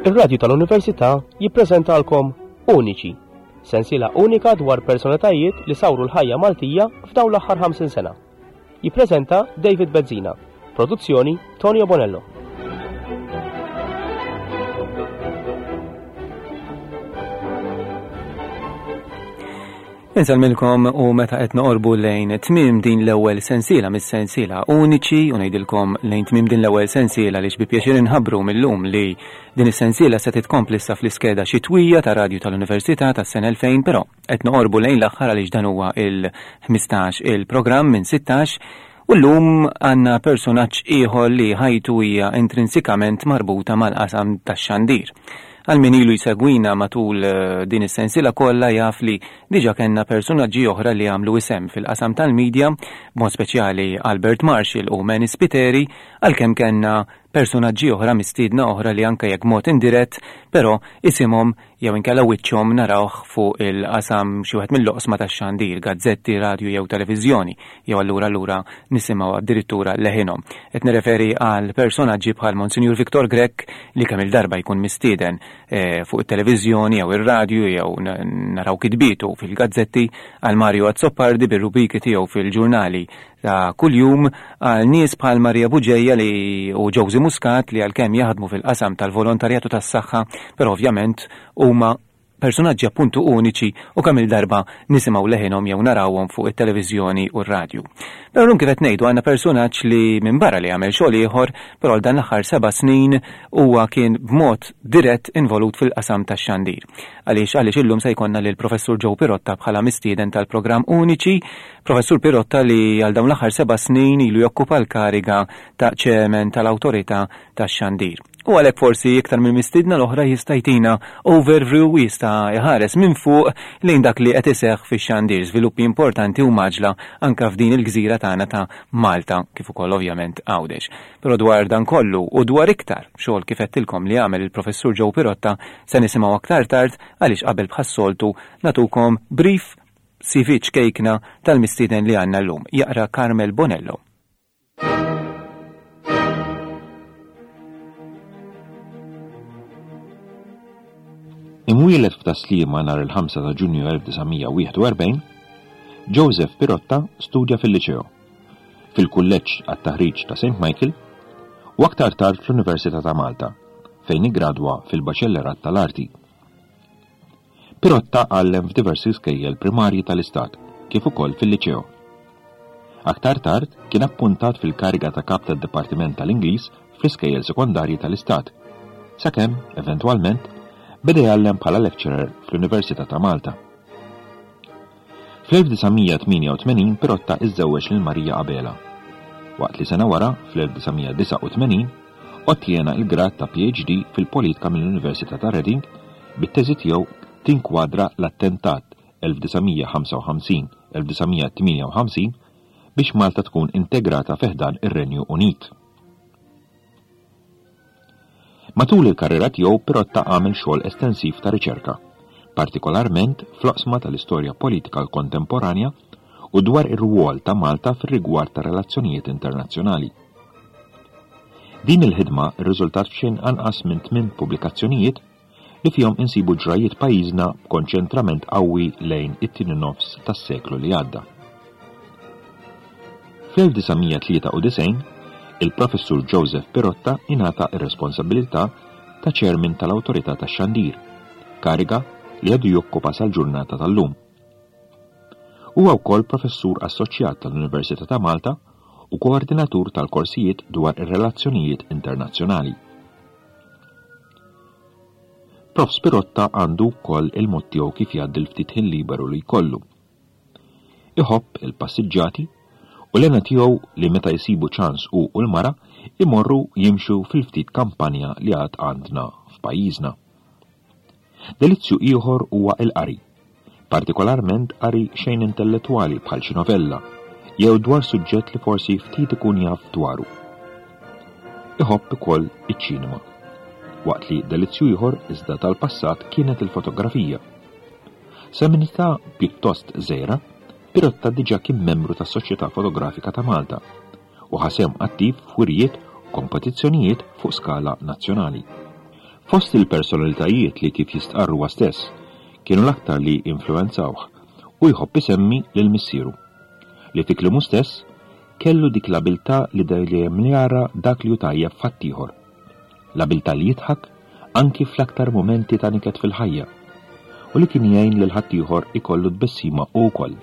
Ir-Radju tal-Università jippreżentalkom Uniċi, sensiela unika dwar personalitajiet li sawru l-ħajja Maltija f'dawn l-aħħar 50 sena. Jippreżenta David Bezzina. Produzzjoni Tonio Bonello. Insellmilkom u meta qed noqorbu lejn tmiem din l-ewwel sensiela mis-sensiela uniċi u ngħidilkom lejn tmiem din l-ewwel sensiela li bi pjaċir inħabbru millum li din is-sensiela se titkompli issa fl-iskeda xitwija ta' radju tal-Università tas-sena 2000 però qed noqorbu lejn l-aħħar għaliex dan huwa il-15 il-programm minn 16 U llum għandna persunaġġ ieħor li ħajtu hija intrinsikament marbuta mal-qasam tax-xandir. Għal min ilu jsegwina matul din is-sensiela kollha jaf li diġà kellna persunaġġi oħra li għamlu isem fil-qasam tal-media, b'mod speċjali Albert Marshall u Manny Spiteri, għalkemm kellna persunaġġi oħra mistiedna oħra li anke jekk b'mod indirett, però isimhom jew inkella wiċċhom narawh fuq il-qasam xi wieħed mill-oqsma tax-xandir, gazzetti, radju jew televiżjoni, jew allura allura nisimgħu addirittura leħinhom. Qed nirreferi għal personaġġi bħal Monsinjur Victor Grech li kemm-il darba jkun mistieden eh, fuq it-televiżjoni jew ir-radju jew naraw kitbietu fil-gazzetti, għal Mario Azzopardi bir-rubriki tiegħu fil-ġurnali ta' kuljum għal nies bħal Maria Bugeja li u Josie Muscat li għalkemm jaħdmu fil-qasam tal-volontarjat u tas-saħħa, però ovvjament huma personaġġi appuntu uniċi u kemm il-darba nisimgħu leħinhom jew narawhom fuq it-televiżjoni u r-radju. Però llum kif qed ngħidu għandna personaġġ li minbarra li għamel xogħol ieħor, però għal dan l-aħħar seba' snin huwa kien b'mod dirett involut fil-qasam tax-xandir. Għaliex għaliex illum se jkollna lil Professur Joe Pirotta bħala mistieden tal-programm Uniċi Professur Pirotta li għal dawn l-aħħar seba' snin ilu jokkupa l-kariga ta' Chairman tal-Awtorità tax-Xandir. U għalhekk forsi iktar mill-mistiedna l-oħra jista' jtina overview u jista' jħares minn fuq lejn dak li qed iseħħ fix-xandir, żviluppi importanti u mgħaġġla anke f'din il-gżira tagħna ta' Malta kif ukoll ovvjament Għawdex. Però dwar dan kollu u dwar iktar xogħol kif għedtilkom li għamel il-Professur Joe Pirotta se nisimgħu aktar tard għaliex qabel bħas-soltu nagħtukom brief CV ċkejkna tal-mistieden li għandna llum, jaqra Carmel Bonello. Imwieled f'Tas-Sliema nhar il-5 ta' Ġunju 1941, Joseph Pirotta studja fil-Liċeo, fil-Kulleġġ għat-Taħriġ ta' St. Michael u aktar tard fl-Università ta' Malta, fejn iggradwa fil-Baċellerat tal-Arti. Pirotta għallem f'diversi skejjel primarji tal-Istat kif ukoll fil-Liċeo. Aktar tard kien appuntat fil-kariga ta' kap tad-Dipartiment tal-Ingliż fl-iskejjel sekondarji tal-Istat, sakemm, eventwalment, beda jgħallem bħala lecturer fl-Università ta' Malta. Fl-1988 Pirotta iżżewweġ lil Maria Abela, waqt li sena wara, fl-1989, ottjena l-grad ta' PhD fil-Politika mill-Università ta' Reading bit-teżi tiegħu tinkwadra l-attentat 1955-1958 biex Malta tkun integrata fi ħdan ir-Renju Unit. Matul il-karriera tiegħu Pirotta għamel xogħol estensiv ta' riċerka, partikolarment fl-oqsma tal-istorja politika kontemporanja u dwar ir-rwol ta' Malta fir-rigward tar-relazzjonijiet internazzjonali. Din il-ħidma rriżultat f'xejn anqas minn tminn pubblikazzjonijiet li fihom insibu ġrajjiet pajjiżna b'konċentrament qawwi lejn it-tieni nofs tas-seklu li għadda. Fl-1993, il-Professur Joseph Pirotta ingħata r-responsabbilità ta' Chairman tal-Awtorità tax-Xandir, kariga li għadu jokkupa sal-ġurnata tal-lum. Huwa wkoll Professur Assoċjat tal-Università ta' Malta u koordinatur tal-korsijiet dwar ir-relazzjonijiet internazzjonali. Prof. Spirotta għandu wkoll il-mod tiegħu kif jgħaddi l-ftit ħin liberu li jkollu. Iħobb il-passiġġati u l-hena tiegħu li meta jsibu ċans hu u l-mara imorru jimxu fil-ftit kampanja li għad għandna f'pajjiżna. Delizzju ieħor huwa l-qari, partikolarment qari xejn intellettwali bħal xi novella jew dwar suġġett li forsi ftit ikun jaf dwaru. Iħobb ukoll iċ-ċinema, waqt li delizzju ieħor iżda tal-passat kienet il-fotografija. Sa minn età pjuttost żgħira, Pirotta diġà kien membru tas-Soċjetà Fotografika ta' Malta u ħa sehem attiv f'wirjiet u kompetizzjonijiet fuq skala nazzjonali. Fost il-personalitajiet li kif jistqarr huwa stess kienu l-aktar li influwenzawh hu jħobb isemmi lil missieru, li fi kliemu stess kellu dik l-abiltà li dejjem jara dak li hu tajjeb f'ħaddieħor. L-abiltà li jidħak anki fl-aktar mumenti ta' niket fil-ħajja u li kien jgħin lil ħaddieħor ikollu tbissima hu wkoll.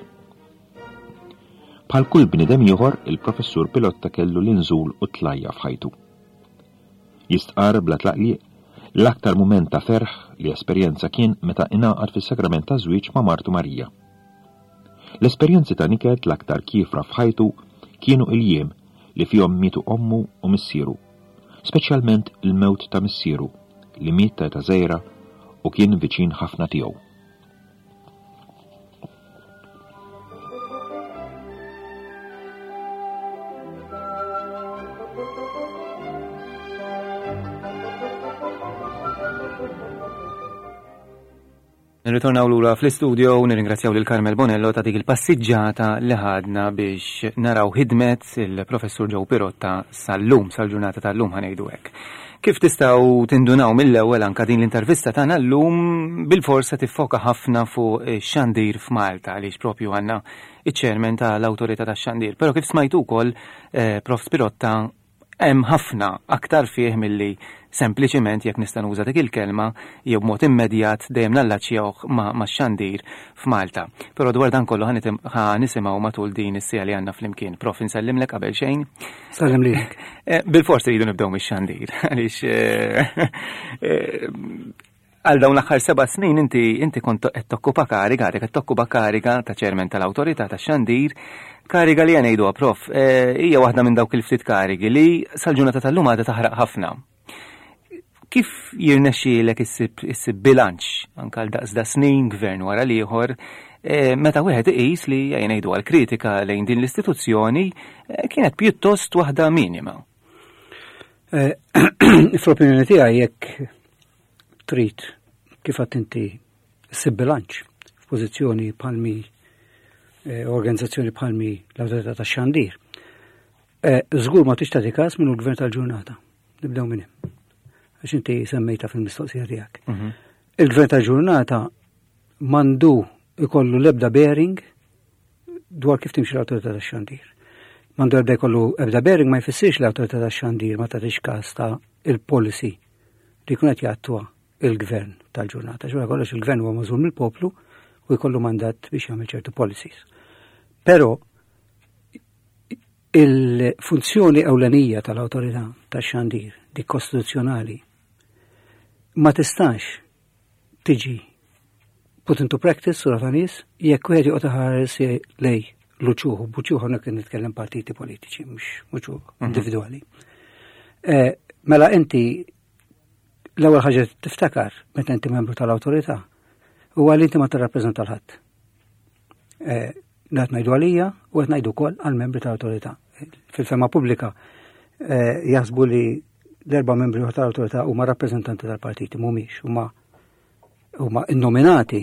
Bħal kull bniedem ieħor, il-Professur Pilotta kellu l-inżul u t-tlajja f'ħajtu. Jistqarr bla tlaqliq li l-aktar mument ta' ferħ li esperjenza kien meta ingħaqad fis-sagrament taż-żwieġ ma' martu Marija. L-esperjenzi ta' niket l-aktar kiefra f'ħajtu kienu il-jiem li fihom mietu ommu u missieru, speċjalment il-mewt ta' missieru li miet ta' età żgħira u kien viċin ħafna tiegħu. Nirritornaw lura fl-istudio u nirringrazzjaw lil Carmel Bonello ta' dik il-passiġġata li ħadna biex naraw ħidmet il-Professur Joe Pirotta sal-lum, sal-ġurnata tal-lum ħanejdu hekk. Kif tistgħu tindunaw mill-ewwel anke din l-intervista tagħna llum bilfors se tiffoka ħafna fuq ix-xandir f'Malta għaliex propju għandna iċ-chairman tal-Awtorità tax-Xandir. Però kif smajtu wkoll eh, Prof Spirotta hemm ħafna aktar fih milli sempliċiment jekk nista' nuża dik il-kelma jew b'mod immedjat dejjem nallaċjawh max-xandir f'Malta. Però dwar dan kollu ħa nisimgħu matul din is-siegħa li għandna flimkien. Prof insellimlek qabel xejn. Sallim lilek. Eh, bil-forsi rridu nibdew mix-xandir, għaliex eh, eh, għal dawn l-aħħar seba' snin inti inti kont qed tokkupa kariga, għadek qed tokkupa kariga ta' ċermen tal-awtorità tax-xandir, kariga li ngħiduha prof, hija waħda minn dawk il-ftit karigi li sal-ġurnata tal-lum għadha taħraq ħafna. Kif jirnexxielek issib issib bilanċ anke għal daqs da snin gvern wara l-ieħor eh, meta wieħed iqis li ejja ngħidu għal kritika lejn din l-istituzzjoni eh, kienet pjuttost waħda minima. Eh, fl-opinjoni tiegħi jekk trid kif għadt inti ssib bilanċ f'pożizzjoni bħalmi organizzazzjoni bħalmi l-Awtorità tax-Xandir. Żgur ma tix tagħti każ minnu l-gvern tal-ġurnata. Nibdew minn hemm. Għax inti semmejta fil-mistoqsija tiegħek. Mhm. Il-gvern tal-ġurnata mandu ikollu l-ebda bearing dwar kif timxi l-awtorità tax-xandir. Mandu ebda jkollu ebda bearing ma jfissirx l-awtorità tax-xandir ma tagħtix każ ta' il-policy li jkun qed jattwa il-gvern tal-ġurnata. Xura kollox il-gvern huwa magħżul mill-poplu u jkollu mandat biex jagħmel ċertu policies. Però Il-funzjoni ewlenija tal-awtorità tax-xandir, dik kostituzzjonali, ma tistax tiġi put into practice sura ta' nies jekk wieħed joqgħod iħares lej l-uċuħ, b'uċuħ hawnhekk qed nitkellem partiti politiċi mhux uċuħ mhm. individwali. Eh, mela inti l-ewwel ħaġa tiftakar meta inti membru tal-awtorità huwa li inti ma tirrappreżenta l-ħadd. Eh, qed ngħidu għalija u qed ngħidu wkoll għall-membri tal-awtorità. Fil-fema pubblika eh, jaħsbu li l-erba' membri tal-awtorità huma rappreżentanti tal-partiti mhumiex huma huma innominati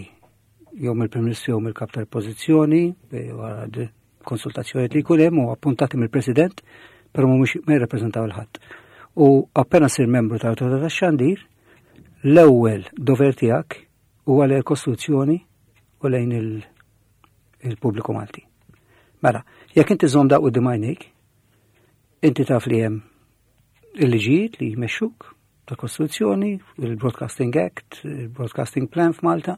jew mill-Prim Ministru jew mill-Kap tal-Pożizzjoni eh, wara konsultazzjoni li jkun hemm u appuntati mill-President, però mhumiex ma jirrappreżentaw il-ħadd. U appena sir membru tal-Awtorità tax-Xandir, l-ewwel dover tiegħek huwa lejn il-Kostituzzjoni u lejn il-pubbliku Malti. Mela, jekk inti żomm daq quddiem għajnejk, inti taf li hemm il-liġijiet li jmexxuk tal-Kostituzzjoni, il-Broadcasting Act, il-Broadcasting Plan f'Malta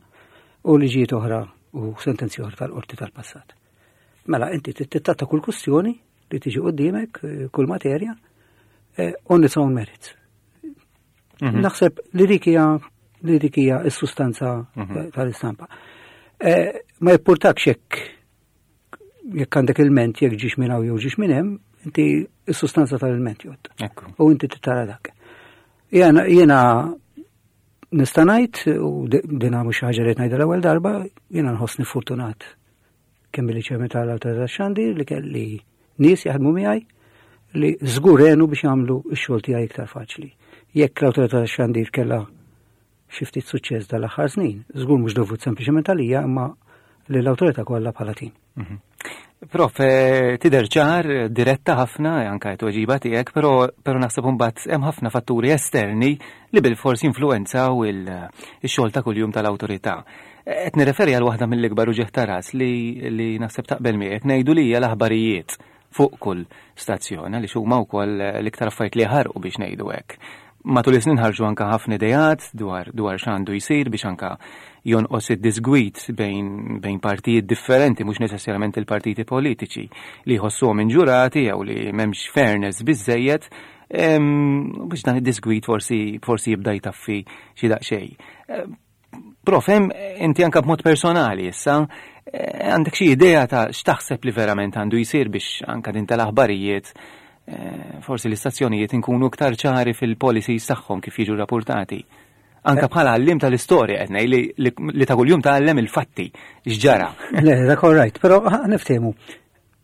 u liġijiet oħra u sentenzi oħra tal-qorti tal-passat. Mela, inti tittatta kull kustjoni li tiġi quddiemek, eh, kull materja, eh, on its own merits. Mhm. Naħseb li dik hija li dik hija s-sustanza mhm. tal-istampa. Eh, ma jippurtakx jekk jekk għandek il-ment jekk ġiex minn hawn jew ġiex minn hemm, inti s-sustanza tal-ilment jgħod. U inti tara dak. Jena jiena nista' ngħid u dina mhux ħaġa li ngħidha l-ewwel darba, jiena nħossni fortunat kemm billi ċermen tal-Awtorità tax-Xandir li kelli nies jaħdmu miegħi li żgur għenu biex jagħmlu x-xogħol tiegħi iktar faċli. Jekk l-Awtorità tax-Xandir kellha xi ftit suċċess dal-aħħar snin, żgur mhux dovut sempliċement għalija imma lill-awtorità kollha bħala tim. Mhm. Prof, eh, tidher ċar, diretta ħafna, eh, anka t-tweġiba tiegħek, però però naħseb imbagħad hemm ħafna fatturi esterni li bilfors jinfluwenzaw il-xogħol ta' kuljum tal-awtorità. Eh, qed nirreferi għal waħda mill-ikbar uġigħ ta' ras li, li naħseb taqbel miegħek ngħidu li hija l-aħbarijiet fuq kull stazzjon għaliex huma wkoll l-iktar affarijiet li jaħarqu biex ngħidu hekk. Matul is-snin ħarġu anka ħafna ideat dwar dwar x'għandu jsir biex anka jonqos id-disgwid bejn bejn partijiet differenti mhux neċessarjament il-partiti politiċi li jħossuhom inġurati jew li m'hemmx fairness biżejjed biex dan id-disgwid forsi forsi jibda jtaffi xi daqsxejn. Prof, hemm inti anka b'mod personali issa, eh, għandek xi idea ta' x'taħseb li verament għandu jsir biex anka din tal-aħbarijiet eh, forsi l-istazzjonijiet inkunu iktar ċari fil-policies tagħhom kif jiġu rapportati. Anka eh. bħala għallim tal-istorja qed ngħid li, li ta' kuljum tgħallem il-fatti x'ġara. Le, dak all right, però niftehmu.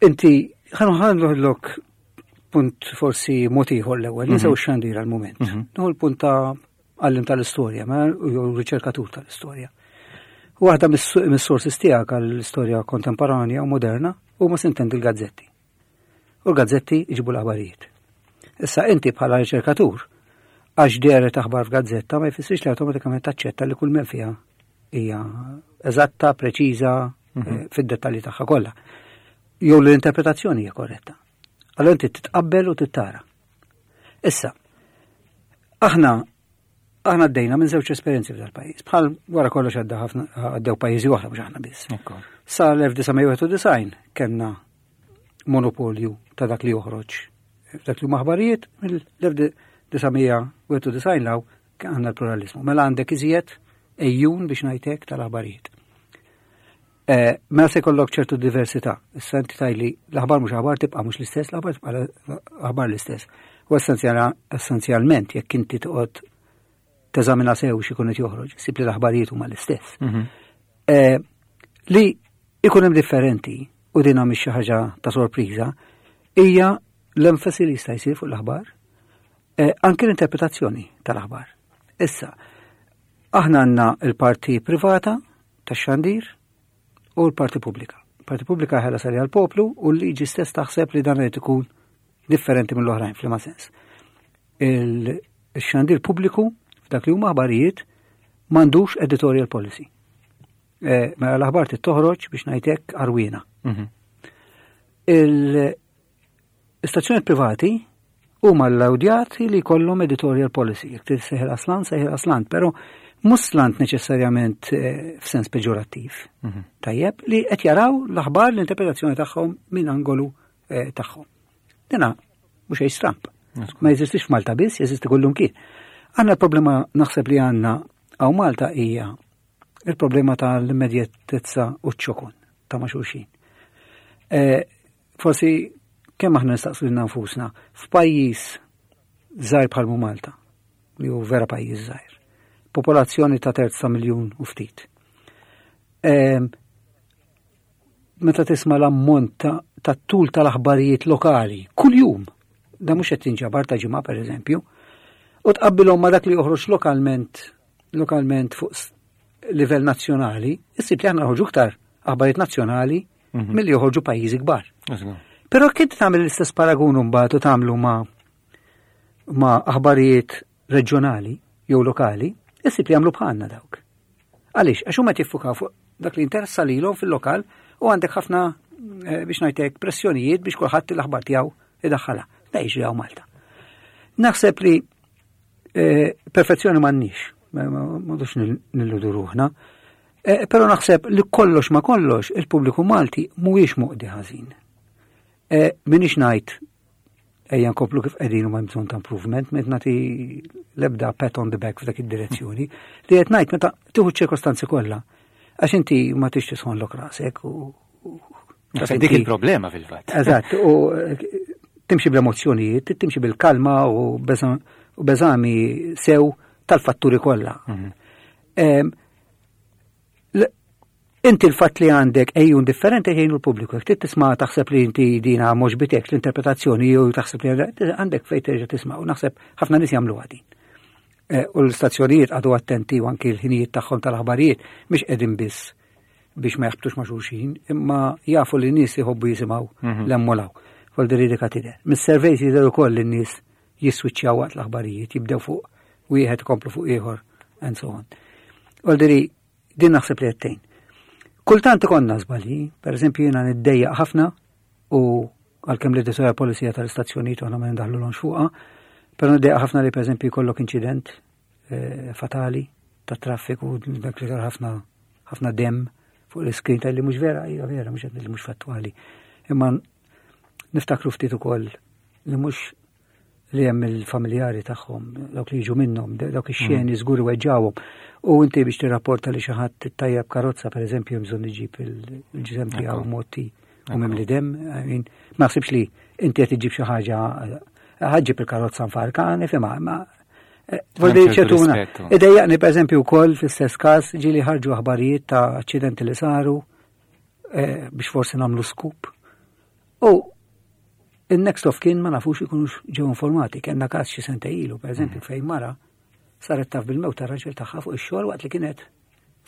Inti ħanħallok punt forsi mod ieħor l-ewwel, ninsew mhm. xandir għal-mument. Mhm. Nieħu l-punt ta' għallim tal-istorja, ma jew riċerkatur tal-istorja. Waħda mis-sources tiegħek għall-istorja kontemporanja u moderna huma sintendi l-gazzetti. U l-gazzetti jġibu l-aħbarijiet. Issa inti bħala riċerkatur, għax dehret aħbar f'gazzetta ma jfissirx li awtomatikament taċċetta li kull men fiha hija eżatta, preċiża, mm -hmm. fid-dettalji tagħha kollha. Jew l-interpretazzjoni hija korretta. Allora inti titqabbel u tittara. Issa, aħna aħna għaddejna minn żewġ esperjenzi f'dal pajjiż. Bħal wara kollox għadda ħafna għaddew pajjiżi oħra mhux aħna biss. Sa l-1991 kellna monopolju ta' dak li joħroġ dak li huma aħbarijiet mill-1991 law għandna l-pluralizmu. Mela għandek iżjed ejjun biex ngħidlek tal-aħbarijiet. Eh, mela se jkollok ċertu diversità. Issa inti tajli l-aħbar mhux aħbar tibqa' mhux l-istess, l-aħbar tibqa' aħbar l-istess. U essenzjalment jekk inti toqgħod teżamina sew x'ikun qed joħroġ, sib li l-aħbarijiet huma l-istess. Mhm. Eh, li ikun hemm differenti u din mhix xi ħaġa ta' sorpriża, hija l-enfasi li jista' jsir fuq l-aħbar, eh, anke l-interpretazzjoni tal-aħbar. Issa, aħna għandna l-parti privata tax-xandir u l-parti pubblika. Parti pubblika ħela sari għal-poplu u l-liġi stess taħseb li dan irid ikun differenti mill-oħrajn f'liema sens. Il-xandir pubbliku f'dak li huma aħbarijiet m'għandux editorial policy. Eh, mela l-aħbar toħroġ biex ngħidlek arwina. Mhm. Istazzjonijiet privati huma allowdjati li jkollhom editorial policy, jekk trid seħil aslant, seħil aslant, però mhux slant neċessarjament eh, f'sens peġorattiv. Mhm. Tajjeb li qed jaraw l-aħbar l-interpretazzjoni tagħhom minn angolu eh, tagħhom. Dina mhux xejn stramp. Ma jeżistix f'Malta biss, jeżisti kullum kien. Għandna l-problema naħseb li għandna hawn Malta hija il-problema tal-immedjatezza u ċ-ċokon ta' ma' xulxin. Eh, Forsi kemm aħna nistaqsu lilna nfusna f'pajjiż żgħir bħal Malta, li hu vera pajjiż żgħir, popolazzjoni ta' terz ta' miljun u ftit. Ehm, meta tisma' l-ammont ta' tul tal-aħbarijiet lokali kuljum, da mhux qed tinġabar ta' ġimgħa pereżempju, u tqabbilhom ma' dak li joħroġ lokalment lokalment fuq livell nazzjonali, issib li aħna noħorġu iktar aħbarijiet nazzjonali mhm. milli joħorġu pajjiżi kbar. Però kif tagħmel l-istess paragun mbagħad u tagħmlu ma' ma' aħbarijiet reġjonali jew lokali, issib li jagħmlu bħalna dawk. Għaliex, għax huma jtiffukaw fuq dak li interessa lilhom fil-lokal u għandek ħafna eh, biex ngħidlek pressjonijiet biex kulħadd l-aħbar tiegħu idaħħalha. Da jiġri hawn Malta. Naħseb li eh, perfezzjoni m'għandniex, ma dux nilludu ruħna. Eh, però naħseb li kollox ma kollox il-pubbliku Malti mhuwiex moqdi ħażin. Eh, minix ngħid ejja nkomplu kif qegħdin u ma bżonn ta' improvement, met nagħti l-ebda pat on the back f'dak id-direzzjoni, li qed ngħid meta tieħu ċ-ċirkostanzi kollha. Għax inti ma tix tisħonlok rasek u Dik il-problema fil-fatt. Eżatt, u eh, timxi bl-emozzjonijiet, timxi bil-kalma u beżami sew tal-fatturi kollha. Mhm. Inti l-fatt li għandek ejjun differenti jgħinu l-pubbliku. Jekk trid tisma' taħseb li inti dina mhux bitek l-interpretazzjoni jew taħseb li għandek fejn terġa' tisma' u naħseb ħafna nies jagħmlu din. Eh, u l-istazzjonijiet għadu attenti u anki l-ħinijiet tagħhom tal-aħbarijiet mhix qegħdin biss. biex ma jaħbtux ma' xulxin, imma jafu li nies jħobbu jisimgħu mhm. l-emmolaw. Voldiri dika tidher. Mis-surveys jidher ukoll li n-nies jiswiċċjaw waqt l-aħbarijiet, jibdew fuq wieħed ikomplu fuq ieħor and so on. Voldiri din naħseb li qed Kultant ikonna żbalji, per eżempju jiena niddejjaq ħafna u għalkemm l-editorial policy tal-istazzjonijiet aħna ma nindaħlu fuqha, però niddejjaq ħafna li per eżempju jkollok inċident eh, fatali ta' traffiku dak li ħafna ħafna dem fuq l-iskrin tal li mhux vera, hija vera, mhux li mhux fattwali. Imma niftakru ftit ukoll li mhux li hemm il-familjari tagħhom, dawk li jiġu minnhom, dawk ix-xeni mm. żgur weġġawhom. U inti biex tirrapporta li xi ħadd tajjeb karozza pereżempju hemm bżonn iġib il-ġisem tiegħu motti u mimli dem, ma naħsibx li inti qed iġib xi ħaġa ħaġġib il-karozza nfarka, nifhimha, ma eh, Voldi ċertuna. Idejjaqni per eżempju wkoll fl-istess każ ġieli ħarġu aħbarijiet ta' aċċidenti li saru eh, biex forsi nagħmlu skup. U il-next of kin ma nafux ikunux ġew informati. Kenna każ xi sentej ilu, per eżempju, mm. fejn mara saret taf bil-mewt ta' raġel tagħha fuq ix-xogħol waqt li kienet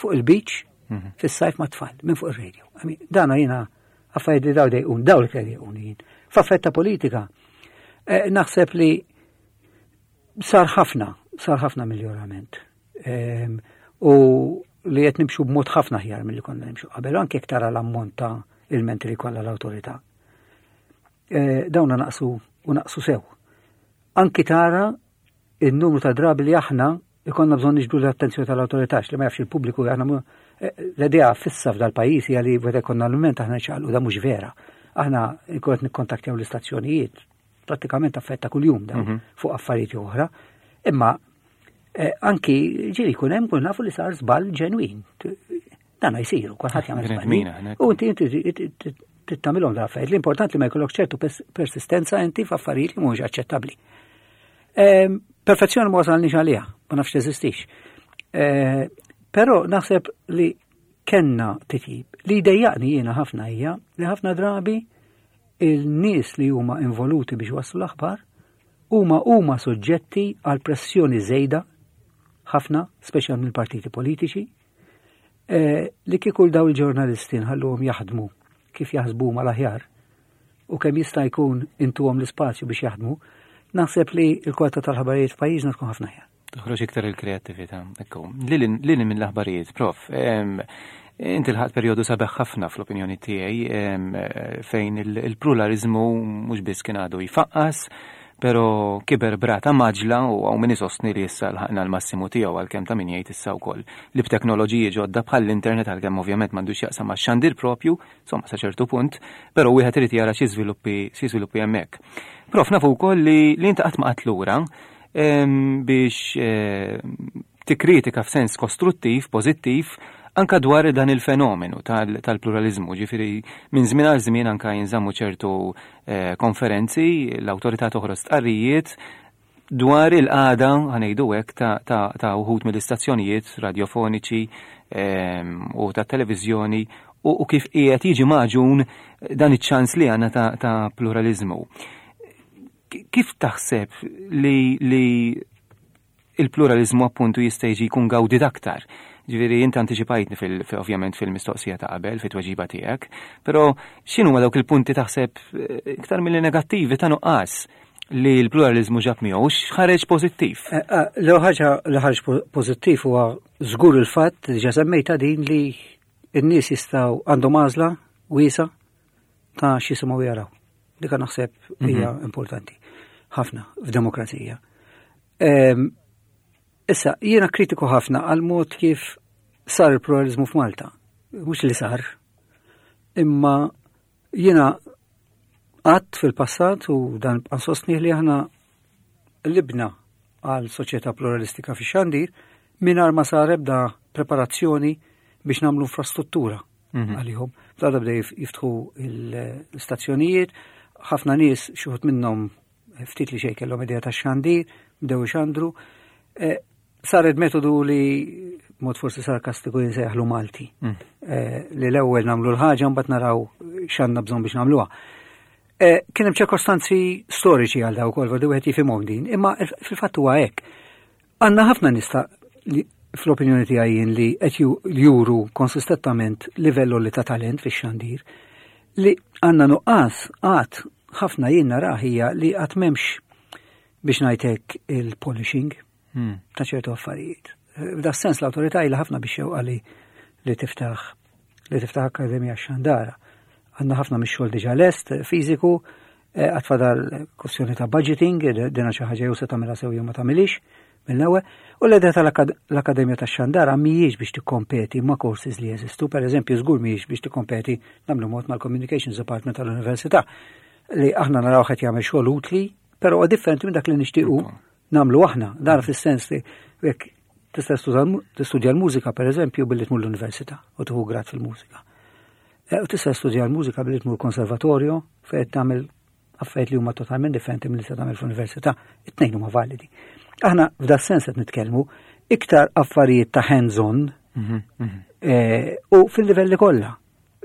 fuq il-beach mhm. fis-sajf ma' tfal minn fuq ir-radio. Dana jiena affarijiet li daw dejqun, daw li dejqun jien. F'affett ta' politika, eh, naħseb li sar ħafna, sar ħafna miljorament. Ehm, u li qed nimxu b'mod ħafna ħjar milli konna nimxu qabel, anke jekk tara l-ammont ta' ilmenti li kollha l-awtorità. Eh, dawna naqsu u naqsu sew. Anki tara il-numru ta' drabi li aħna ikonna bżonn niġbdu l-attenzjoni tal-awtorità li ma jafx il-pubbliku aħna eh, l-idea fissa f'dal pajjiż hija li meta jkollna l-mument aħna nċaqalqu da mhux vera. Aħna jkun qed nikkontaktjaw l-istazzjonijiet prattikament affetta kuljum dawn mhm. fuq affarijiet oħra. Imma eh, anki ġieli jkun hemm kun nafu li sar żball ġenwin. Dan jsiru, kulħadd jagħmel żball. U inti inti tittamilhom dal affarijiet. L-importanti li ma jkollok ċertu persistenza inti f'affarijiet li mhumiex aċċettabbli. Ehm, perfezzjoni ma wasalniex għaliha, ma nafx teżistix. Ehm, però naħseb li kenna titjib. Li jdejjaqni jiena ħafna hija li ħafna drabi il-nies li huma involuti biex waslu l-aħbar huma huma soġġetti għal pressjoni żejda ħafna, speċjal mill-partiti politiċi, eh, li kieku daw il-ġurnalisti nħalluhom jaħdmu kif jaħsbu huma l-aħjar u kemm jista' jkun intuhom l-ispazju biex jaħdmu, naħseb li l-kwalità tal-ħabarijiet f'pajjiżna tkun ħafna aħjar. Toħroġ iktar il-kreattività. Ekku, lili mill-aħbarijiet, prof, inti l-ħat perjodu sabeħ ħafna fl-opinjoni tiegħi fejn il-pluralizmu mhux biss kien għadu jfaqqas, pero kiber brata maġla u għaw min isostni li issa lħaqna l-massimu tiegħu għalkemm ta' min jgħid issa wkoll li b'teknoloġiji ġodda bħall-internet għalkemm ovvjament m'għandux jaqsam max-xandir propju, insomma sa ċertu punt, però wieħed irid jara xi żviluppi xi żviluppi hemmhekk. Prof nafu wkoll li li inti qatt ma qatt lura biex eh, tikkritika f'sens kostruttiv, pożittiv, anka dwar dan il-fenomenu tal-pluralizmu, ġifiri minn żmien għal żmien anka jinżammu ċertu eh, konferenzi, l-awtorità toħroġ stqarrijiet dwar il-qagħda ħanejdu hekk ta' uħud mill-istazzjonijiet radiofoniċi u ta' televiżjoni u kif qiegħed jiġi maġun dan iċ-ċans li għandna ta' pluralizmu. Kif taħseb li, li il-pluralizmu appuntu jista' jiġi jkun gawdit aktar? Ġifieri inti antiċipajtni fil, ovvjament fil-mistoqsija ta' qabel, fit-tweġiba tiegħek, però x'inhuma dawk il-punti taħseb eh, iktar milli negattivi ta' nuqqas li l-pluralizmu ġab miegħu x'ħareġ pożittiv? Eh, eh, l ħaġa li ħareġ pożittiv huwa żgur il-fatt li ġa semmejta din li n-nies jistgħu għandhom għażla wiesa ta' x'jisimgħu jaraw. Dika naħseb mhm. hija importanti ħafna f'demokrazija. Ehm, issa, jiena kritiku ħafna għal mod kif sar il-pluralizmu f'Malta. Mhux li sar, imma jiena għadt fil-passat u dan sostni li aħna libna għal soċjetà pluralistika fi xandir mingħajr ma sar ebda preparazzjoni biex nagħmlu infrastruttura mhm. għalihom. Fl-għada bdew jiftħu l-istazzjonijiet, ħafna nies xi minnhom ftit li xejn kellhom idea ta' xandir, bdew ixandru. Eh, saret metodu li mod forsi sarkastiku jinsejħlu Malti. Mm. Eh, li l-ewwel nagħmlu l-ħaġa mbagħad naraw x'għandna bżonn biex nagħmluha. Eh, kien hemm ċirkostanzi storiċi għal daw ukoll, wieħed jifhimhom din, imma fil-fatt huwa hekk. Għandna ħafna nista li fl-opinjoni tiegħi jien li qed juru konsistettament livell li ta' talent fix-xandir li għandna nuqqas għad ħafna jien narah hija li għad m'hemmx biex ngħidlek il-polishing ta' ċertu affarijiet. F'da sens l-awtorità ilha ħafna biex xewqa li li tiftaħ Akkademja Xandara. Għandna ħafna mix-xogħol diġà lest fiżiku, għad fadal kwestjoni ta' budgeting, dina xi ħaġa jew se tagħmilha sew jew ma tagħmilix mill-ewwel. U l-idea tal-Akkademja tax-Xandara mhijiex biex tikkompeti ma' courses li jeżistu, per eżempju żgur mhijiex biex tikkompeti nagħmlu mod mal-Communications Department tal-Università li aħna naraw qed jagħmel xogħol utli, però huwa differenti minn dak li nixtiequ nagħmlu aħna. Dan fis-sens li jekk tista' tistudja l-mużika per eżempju billi tmur l-università u tieħu grad fil-mużika. U tista' tistudja l-mużika billi tmur konservatorju fejn tagħmel affarijiet li huma totalment differenti milli se tagħmel fl-università. It-tnejn huma validi. Aħna f'da sens qed nitkellmu iktar affarijiet ta' hands-on u fil-livelli kollha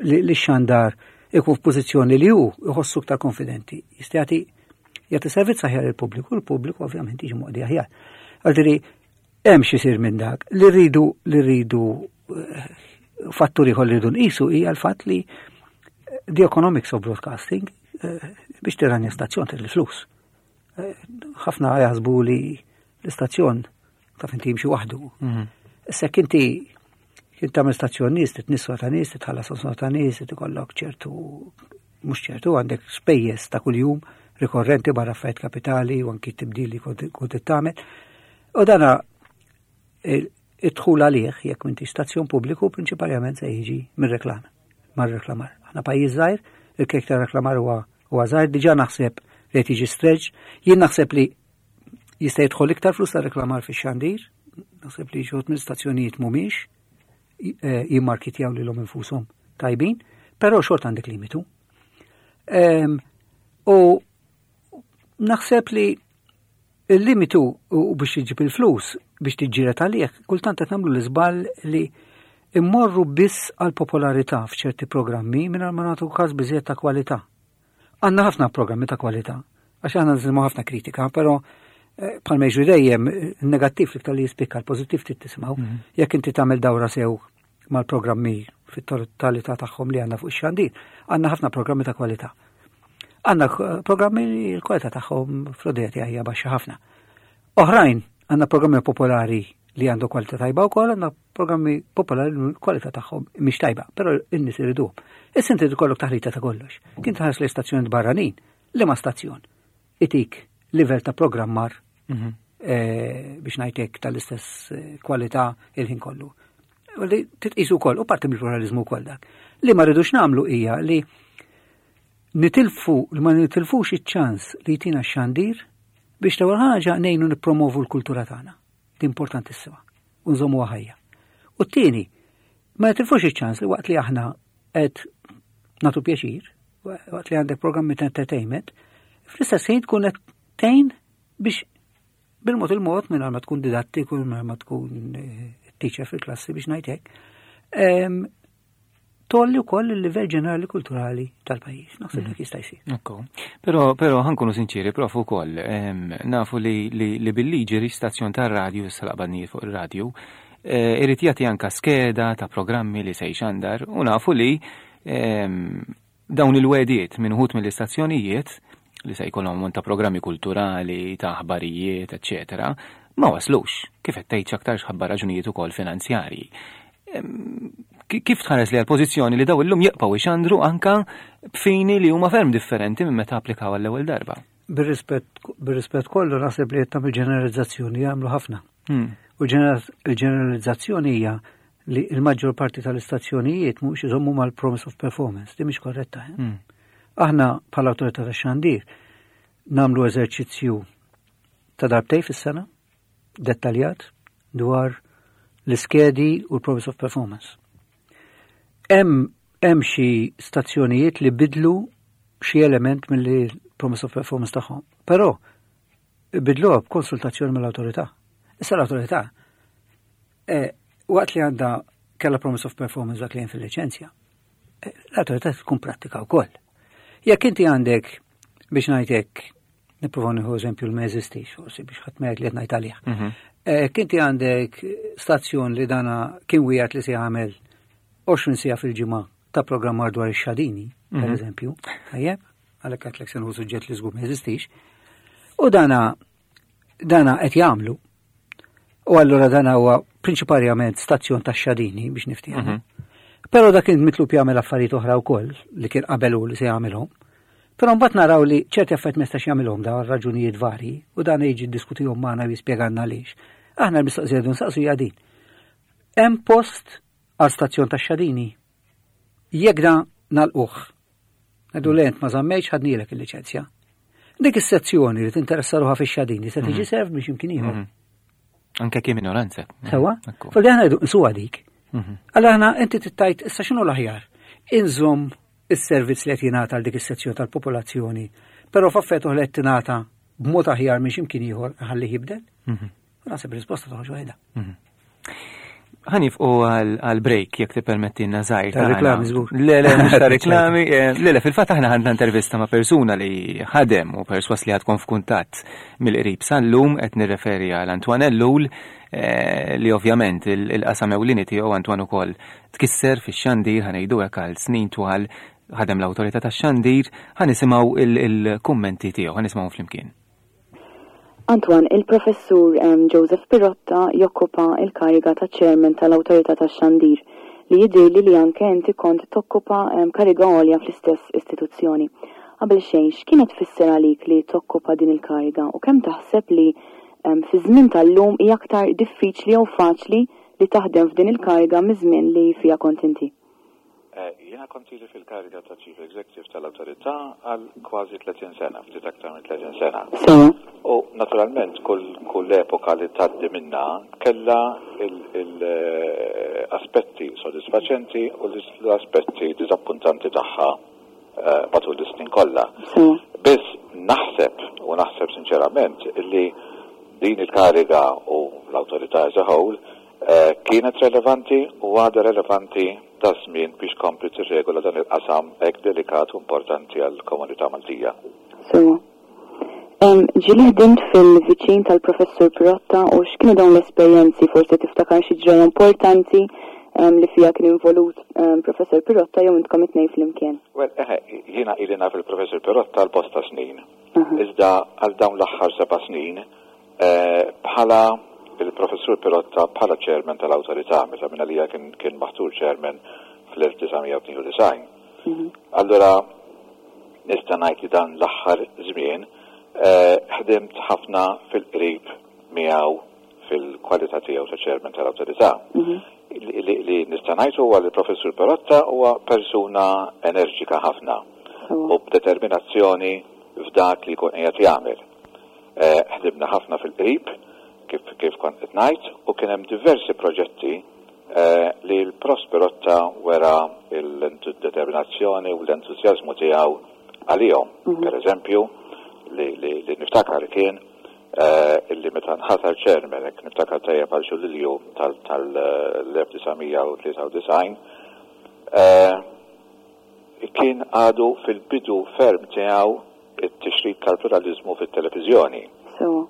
li xandar ikun f'pożizzjoni li hu jħossu iktar konfidenti. Jista' jagħti servizz aħjar il-pubbliku, il-pubbliku ovvjament jiġi moqdi aħjar. Għaltiri, hemm xi jsir minn dak li rridu fattur ieħor li rridu nqisu hija l-fatt li the economics of broadcasting, biex tirranja stazzjon trid il-flus. Ħafna jaħsbu li l-istazzjon taf inti jimxi waħdu. Issa jekk inti kien tagħmel stazzjon nies, titnisswa ta' nies, titħallas osma ta' nies, ikollok ċertu mhux ċertu għandek spejjeż ta' kuljum rikorrenti barra affarijiet kapitali u anki tibdil li kont tagħmel. U dana id-dħul għalih jekk m'inti stazzjon pubbliku prinċipalment se jiġi mir-reklam, mar-reklamar. Aħna pajjiż żgħir, il-kejk ta' reklamar huwa żgħir, diġà naħseb li qed jiġi stretch, jien naħseb li jista' jidħol iktar flus ta' reklamar fix-xandir, naħseb li xi minn stazzjonijiet mhumiex jimmarkitjaw lilhom infushom tajbin, però xorta għandek limitu. U naħseb li il-limitu u biex iġib il-flus biex tiġġieled għalih, kultant qed nagħmlu l-iżball li immorru biss għal popolarità f'ċerti programmi mingħajr ma nagħtu każ biżejjed ta' kwalità. Għandna ħafna programmi ta' kwalità, għax aħna nisimgħu ħafna kritika, però bħalma jiġri dejjem negattiv l-iktar li jispikka, l-pożittiv trid tisimgħu. Jekk inti tagħmel dawra sew mal-programmi fit-totalità tagħhom li għandna fuq ix-xandir, għandna ħafna programmi ta' kwalità. Għandna programmi li l-kwalità tagħhom fl-odija hija baxxa ħafna. Oħrajn għandna programmi popolari li għandu kwalità tajba wkoll, għandna programmi popolari li l-kwalità tagħhom mhix tajba, però n-nies iriduhom. Issa inti ikollok taħlita ta' kollox. Kien tħares li stazzjoni barranin, liema stazzjon itik livell ta' programmar biex ngħidlek tal-istess kwalità il-ħin kollu. U li titqisu wkoll u parti mill-pluralizmu wkoll dak. Li ma rridux nagħmlu hija li nitilfu li ma nitilfux iċ-ċans li jtina x-xandir biex l-ewwel ħaġa ngħinu nippromovu l-kultura tagħna. Di importantissima. U nżommuha ħajja. U t-tieni, ma nitilfux iċ-ċans li waqt li aħna qed nagħtu pjaċir, waqt li għandek programmi ta' entertainment, fl-istess ħin tkun qed tgħin biex bil-mod il-mod minn ma tkun didattiku, minn ma tkun teacher fil-klassi biex ngħid hekk, tgħolli wkoll il-livell ġenerali kulturali tal-pajjiż. Naħseb dak jista' jsir. Ekku. Però ħa nkunu sinċiri, prof ukoll, nafu li bil-liġi ri stazzjon tar-radju, issa laqbadnijiet fuq ir-radju, irid jagħti anka skeda ta' programmi li se jxandar u nafu li dawn il-wegħdiet minn uħud mill-istazzjonijiet li se jkollhom ta' programmi kulturali, ta' aħbarijiet, eċċetera, ma waslux, kif qed tgħid aktar ħabba raġunijiet ukoll finanzjarji. Kif tħares li għal-pożizzjoni li daw illum jibqgħu ixandru anka b'fini li huma ferm differenti minn meta applikaw għall-ewwel darba? Bir-rispett kollu naħseb li qed tagħmel ġeneralizzazzjoni jagħmlu ħafna. U l-ġeneralizzazzjoni hija li l-maġġor parti tal-istazzjonijiet mhux iżommu mal-promise of performance, di mhix korretta. Eh? Aħna bħala awtorità tax-xandir nagħmlu eżerċizzju ta' darbtej fis-sena, dettaljat dwar l-iskedi u l-promise of performance. Hemm xi stazzjonijiet li bidlu xi element mill promise of performance tagħhom. Però bidluha b'konsultazzjoni mill-awtorità. Issa l-awtorità waqt li għandha kella promise of performance dak li hemm fil-liċenzja, l-awtorità tkun prattika wkoll. Jekk inti għandek biex ngħidlek, nipprova nieħu eżempju l ma jeżistix, forsi biex ħadd ma jgħid li qed ngħid għalih. Jekk inti għandek stazzjon li dana kien wieħed li se jagħmel 20 siegħa fil-ġimgħa ta' programmar dwar ix-xadini, per mhm. eżempju, tajjeb, għalhekk għedtlek se nieħu suġġett li żgur ma jeżistix. U dana dana qed jagħmlu. U allura dana huwa prinċiparjament stazzjon ta' xadini biex niftiehem. Mhm. Però dak kien mitlub jagħmel affarijiet oħra wkoll li kien qabel u li se jagħmilhom. Però mbagħad naraw li ċerti affarijiet ma jistax jagħmilhom dawn għal raġunijiet varji u dan jiġi ddiskutihom magħna u jispjegalna għaliex. Aħna l-mistoqsija li nsaqsu hija din. Hemm post għal stazzjon tax-xadini? Jekk da nagħlquh. Ngħidu le int ma żammejtx ħadnielek il-liċenzja. Dik is-sezzjoni li tinteressa ruħha fix-xadini se tiġi mhm. serv biex imkien ieħor. Mhm. Anke kien minoranza. Sewa? Falli aħna jdu nsuha dik. Mhm. Alla aħna inti tittajt issa x'inhu l-aħjar? Inżomm is-servizz li qed jingħata għal dik is-sezzjoni tal-popolazzjoni, però f'affett oħra qed tingħata b'mod aħjar minn x'imkien ieħor ħalli jibdel? Mhm. Naħseb risposta toħroġ waħedha. Mhm. Ħanifqu għal break jekk tippermettilna żgħir. Ta' reklami żgur. Le, le, mhux ta' reklami. Eh, le, le, fil-fatt aħna ħadna intervista ma' persuna li ħadem u perswas li ħadkom f'kuntatt mill-qrib sal-lum qed nirreferi għal Antoine Ellul eh, li ovvjament il-qasam ewlieni tiegħu Antoine ukoll tkisser fix-xandir ħa ngħidu hekk għal snin twal ħadem l-awtorità tax-xandir, ħa nisimgħu il-kummenti tiegħu, ħa nisimgħu flimkien. Antoine, il-Professur Joseph Pirotta jokkupa l-kariga ta' Chairman tal-Awtorità tax-Xandir, li jidhirli li anke inti kont tokkupa kariga għolja fl-istess istituzzjoni. Qabel xejn, x'kienet tfisser għalik li tokkupa din il-kariga u kemm taħseb li fiż-żmien tal-lum hi aktar diffiċli jew faċli li taħdem f'din il-kariga miż-żmien li fiha kont inti? Jiena kont ili fil-kariga ta' Chief Executive tal-Awtorità għal kważi 30 sena, ftit aktar minn 30 sena. Sewa. U naturalment kull kull epoka li tgħaddi minnha kellha l-aspetti sodisfaċenti u l-aspetti diżappuntanti tagħha matul is-snin kollha. Sewa. Biss naħseb, u naħseb sinċerament, li din il-kariga u l-Awtorità as a whole Kienet relevanti u għadha relevanti daż-żmien biex tkompli tirregola dan il-qasam hekk delikat u importanti għall-komunità Maltija. Sewwa. Ġieli ħdimt fil-viċin tal-Professur Pirotta u x'kienu dawn l-esperjenzi? Forsi tiftakar xi ġrajja importanti li fiha kien involut Professur Pirotta jew intkom it-tnejn flimkien? Well, eħe, jiena ili naf il-Professur Pirotta għal bosta snin. Iżda għal dawn l-aħħar seba' snin Bħala il-Professur Pirotta bħala Chairman tal-Awtorità meta mingħalija kien kien maħtur Chairman fl-1992. Mhm. Allura nista' ngħid li dan l-aħħar żmien eh, ħdimt ħafna fil-qrib miegħu fil-kwalità tiegħu ta' Chairman tal-Awtorità. Mhm. Li nista' ngħid huwa li l-Professur Pirotta huwa persuna enerġika ħafna u b'determinazzjoni f'dak li jkun qiegħed jagħmel. Ħdimna ħafna fil-qrib, kif kif kont qed ngħid, u kien hemm diversi proġetti li l-Prof. Pirotta wera l-determinazzjoni u l-entużjażmu tiegħu għalihom. Per eżempju, li li niftakar kien illi meta nħatar chairman, hekk niftakar tajjeb għal xi Lulju tal-1993, kien għadu fil-bidu ferm tiegħu it-tixrid tal-pluraliżmu fit-televiżjoni. Sewwa.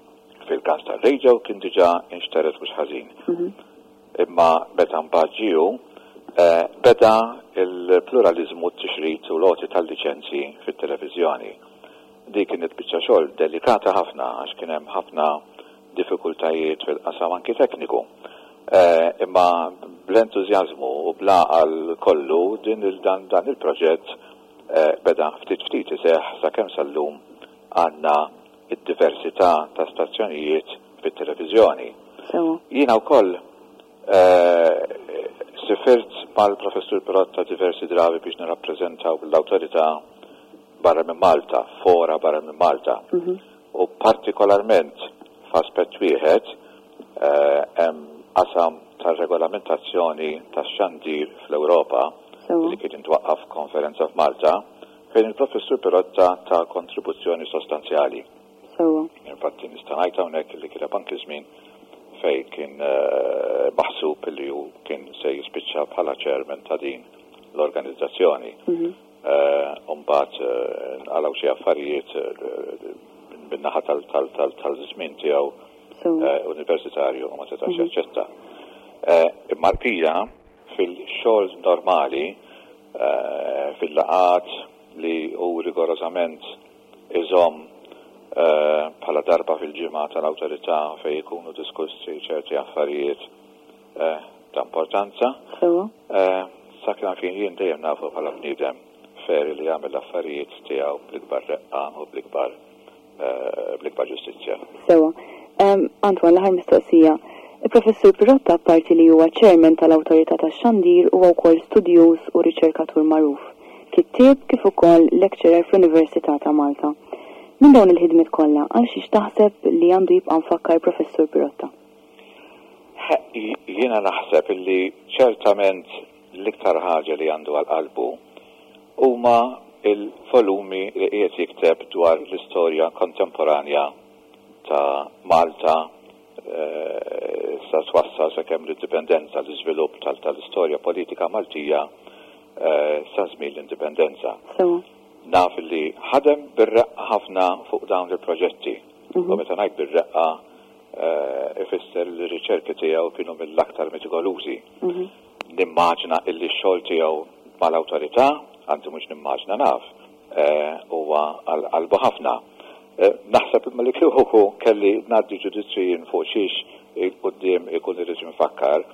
Fil-każ tar-radio kien diġà inxtered mhux ħażin. Imma meta mbagħad ġie hu, beda l-pluraliżmu, t-tixrid u l-għoti tal-liċenzji fit-televiżjoni. Dik kienet biċċa xogħol delikata ħafna għax kien hemm ħafna diffikultajiet fil-qasam anki tekniku. Imma bl-entużjażmu u bl-għaqal kollu din dan il-proġett beda ftit ftit iseħħ sakemm sal-lum għandna d-diversità ta' stazzjonijiet fit-televiżjoni. Sewwa. Jiena wkoll sifirt mal-Professur Pirotta diversi drabi biex nirrappreżentaw lill-Awtorità barra minn Malta, f'fora barra minn Malta. U partikolarment f'aspett wieħed hemm qasam tar-regolamentazzjoni tax-xandir fl-Ewropa li kien intwaqqaf f'konferenza f'Malta fejn il-Professur Pirotta ta kontribuzzjoni sostanzjali. Sewwa. Infatti nista' ngħid hawnhekk li kien hemm anki żmien fejn kien maħsub li hu kien se jispiċċa bħala chairman ta' din l-organizzazzjoni. U mbagħad nqalgħu xi affarijiet min-naħa tal-żmien tiegħu. universitarju u ma setax jaċċetta. Imma l-bqija fil-xogħol normali, fil-laqgħat li hu rigorożament iżomm bħala darba fil-ġimgħa tal-awtorità fejn ikunu diskussi ċerti affarijiet ta' importanza. Sa kemm fin jien dejjem nafu bħala bniedem fair li jagħmel l-affarijiet tiegħu bl-ikbar reqqa u bl-ikbar bl-ikbar ġustizzja. Sewwa. Antoine, l-aħħar mistoqsija. Il-Professur Pirotta apparti li huwa Chairman tal-Awtorità tax-Xandir huwa wkoll studjuż u riċerkatur magħruf, kittieb kif ukoll lecturer fl-Università ta' Malta. Minn dawn il-ħidmiet kollha, għal xiex taħseb li għandu jibqa' mfakkar Professur Pirotta? Jiena naħseb illi ċertament l-iktar ħaġa li għandu għal qalbu huma l-volumi li qiegħed jikteb dwar l-istorja kontemporanja ta' Malta sa twassal sakemm l-indipendenza, l-iżvilupp tal-istorja politika Maltija sa żmien l-indipendenza. Naf li ħadem bir-reqqa ħafna fuq dawn il-proġetti. U meta ngħid bir-reqqa ifisser li r-riċerki tiegħu kienu mill-aktar metikolużi. Nimmaġina illi x-xogħol tiegħu mal-awtorità, anzi mhux nimmaġina naf, huwa għal qalbu ħafna. Naħseb imma li kieku kelli ngħaddi ġudizzju jien fuq xiex 'il quddiem ikun irid infakkar,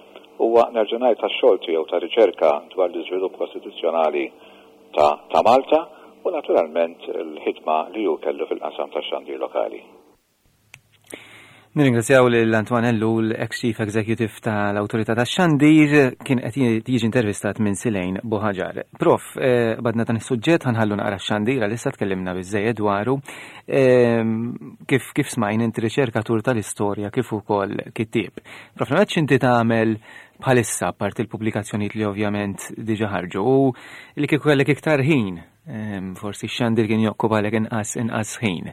huwa nerġa' ngħid għax-xogħol tiegħu ta' riċerka dwar l-iżvilupp kostituzzjonali ta' Malta u naturalment l-ħidma li hu kellu fil-qasam tax-xandir lokali. Nirringrazzjaw lil Antoine Ellul, ex-Chief Executive tal-Awtorità tax-Xandir, kien qed jiġi intervistat minn Silejn Buħaġar. Prof, eh, badna dan is-suġġett ħanħallu naqra x-xandir għalissa tkellimna biżejjed dwaru. Ehm, kif kif smajn inti riċerkatur tal-istorja kif ukoll kittieb. Prof, ma inti tagħmel bħalissa apparti l-pubblikazzjonijiet li ovvjament diġa ħarġu u li kieku kellek iktar ħin Forsi x-xandir kien jokkupalek inqas inqas ħin.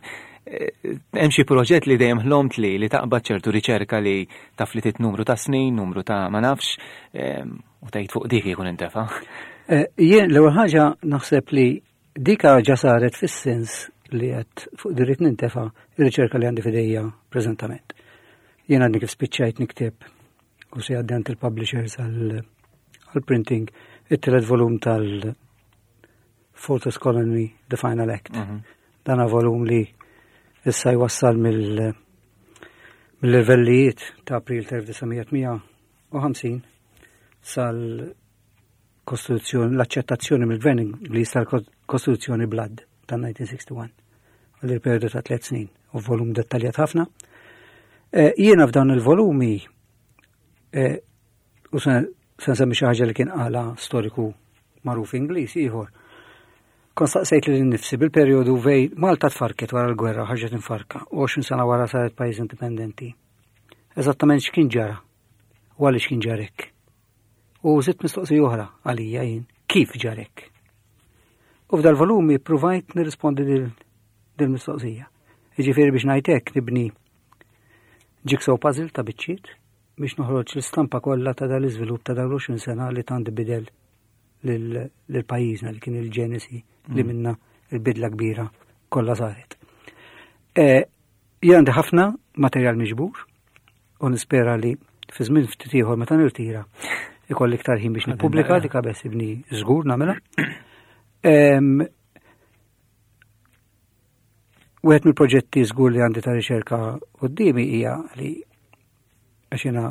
Eh, hemm xi proġett li dejjem ħlomt li li taqbad ċertu riċerka li taf li tit numru ta' snin, numru ta' ma nafx, u tgħid fuq dik jkun intefa'. Eh, jien l-ewwel ħaġa naħseb li dika ġa saret fis-sens li qed fuq dirrit nintefa' ir-riċerka li għandi fidejja preżentament. Jien għadni kif spiċċajt nikteb u se għaddi għand il-publishers għal-printing it-tielet volum tal- Fortress Colony, The Final Act. Mhm. Dana volum li issa jwassal mill mill-irvellijiet ta' April 1958 sal kostituzzjoni l-accettazzjoni mill-gvern Ingliż tal-Kostituzzjoni Blood ta' 1961 għal il-periodu ta' tliet snin u volum dettaljat ħafna. Eh, jiena f'dawn il-volumi eh, U se nsemmi xi ħaġa li kien qala storiku magħruf Ingliż ieħor. Kont staqsejt lil nifsi bil-perjodu vej Malta tfarket wara l-gwerra ħarġet infarka u 20 sena wara saret pajjiż indipendenti. Eżattament x'kien ġara u għaliex kien ġarek. U zitt mistoqsija oħra għalija jien, kif ġarek? U f'dal-volumi provajt nirrispondi dil mistoqsija. Jiġifieri biex ngħid hekk nibni jigsaw puzzle ta' biċċiet biex noħroġ l-istampa kollha ta' dal-iżvilupp ta' dawn l-20 sena li tant bidel lil pajjiżna li kien il-ġenesi li mm. minna il-bidla kbira kollha saret. E, jien għandi ħafna materjal miġbur u nispera li fi żmien ftit ieħor meta nirtira ikolli iktar ħin biex nippubblika dik ibni żgur nagħmilha. Wieħed mill-proġetti żgur li għandi ta' riċerka qudiemi hija li għax jiena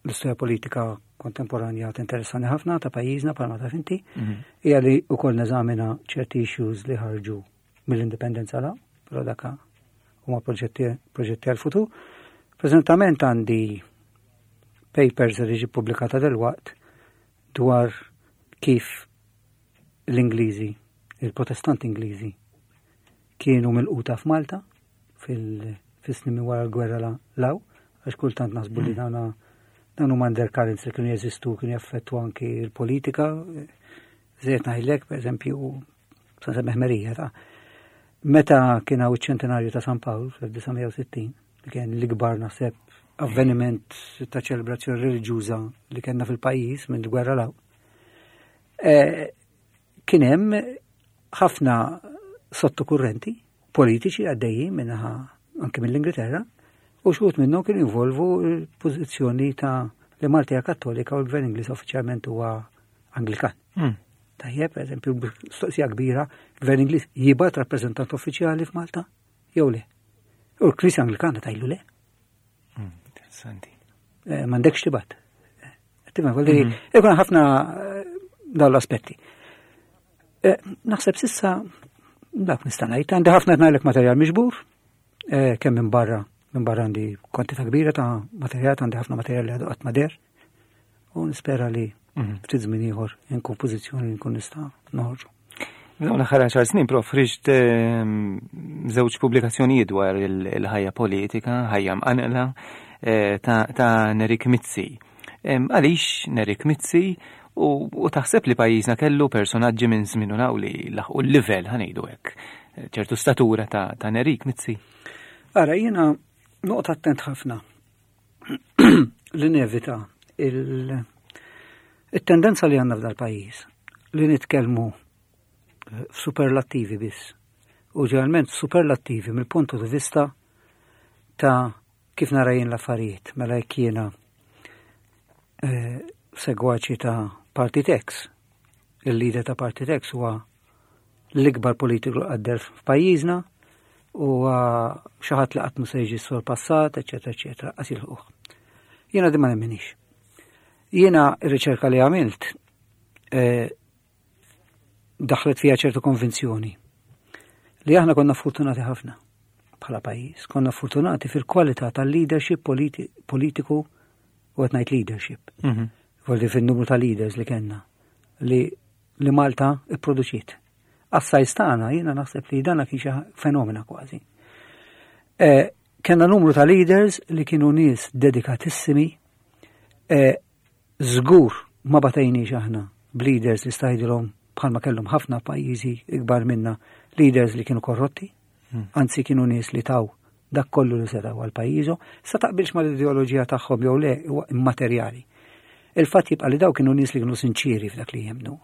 l-istorja politika kontemporanja tinteressani ħafna ta' pajjiżna bħalma taf inti, mhm. hija li wkoll neżamina ċerti issues li ħarġu mill-indipendenza la, però daka huma proġetti proġetti għal-futur. Preżentament għandi papers li ġi pubblikata delwaqt dwar kif l-Ingliżi, il-Protestanti Ingliżi, kienu milquta f'Malta fil-snin minn wara l-gwerra law, għax kultant naħsbu li mm. dawna dawn huma undercurrents li kienu jeżistu, kienu jaffettu anki l-politika. Żejt ngħidlek, pereżempju, sa semmeħ Merija ta' meta kien hawn iċ-ċentenarju ta' San Pawl fl-1960, li kien l-ikbar naħseb avveniment ta' ċelebrazzjoni reliġjuża li kellna fil-pajjiż minn gwerra law. Eh, kien hemm ħafna sottokurrenti politiċi għaddejjin minnaħa anke mill-Ingilterra. U xi wħud minnhom kienu jinvolvu l-pożizzjoni ta' li Malta hija Kattolika u l-Gvern Ingliż uffiċjalment huwa Anglikan. Tajjeb, per eżempju, mistoqsija kbira, Gvern Ingliż jibgħat rappreżentant uffiċjali f'Malta jew le? U l-Knisja Anglikana tajlu le. Interessanti. Eh, m'għandekx tibgħat. Eh, tifhem, vuol dire, ikun ħafna eh, dawn l-aspetti. Naħseb sissa dak nista' ngħid, għandi ħafna qed ngħidlek materjal miġbur, kemm minn barra, minn barra għandi kwantità kbira ta' materjal, għandi ħafna materjal li għadu qatt ma deher. U nispera li ftit żmien ieħor inkun pożizzjoni li nkun nista' noħorġu. Dawn l-aħħar 10 snin, prof, ħriġt żewġ pubblikazzjonijiet dwar il-ħajja politika, ħajja mqanqla, ta' Nerik Mizzi. Għaliex Nerik Mizzi u taħseb li pajjiżna kellu personaġġi minn żmien u law li laħqu l-livell, ħa ngħidu hekk, ċertu statura ta' Nerik Mizzi? Ara, jiena noqgħod attent ħafna li nevita il-tendenza li għandna f'dal-pajjiż li nitkellmu f'superlattivi biss. U ġeneralment superlattivi mill-puntu di vista ta' kif nara jien l-affarijiet, mela jekk jiena segwaċi ta' Partit X, il-leader ta' Partit X huwa l-ikbar politiku li qadder f'pajjiżna, huwa xi ħadd li qatt mhu se jiġi sorpassat, eċetera, eċetera, qas jilħquh. Jiena din ma nemminix. Jiena r-riċerka li għamilt daħlet fija ċertu konvinzjoni li aħna konna fortunati ħafna bħala pajjiż, konna fortunati fil-kwalità tal-leadership politiku u qed ngħid leadership. Voldi fin-numru ta' leaders li kellna li Malta ipproduċiet. Għas-sajz tagħna jiena naħseb li dana kien xi fenomena kważi. Kellna numru ta' leaders li kienu nies dedikatissimi, żgur ma batejniex aħna b'leaders li stajdilhom bħalma kellhom ħafna pajjiżi ikbar minna, leaders li kienu korrotti, anzi kienu nies li taw dak kollu li setgħu għal pajjiżhom, sa taqbilx mal-ideoloġija tagħhom jew le huwa immaterjali. Il-fatt jibqa' li daw kienu nies li kienu sinċiri f'dak li jemmnu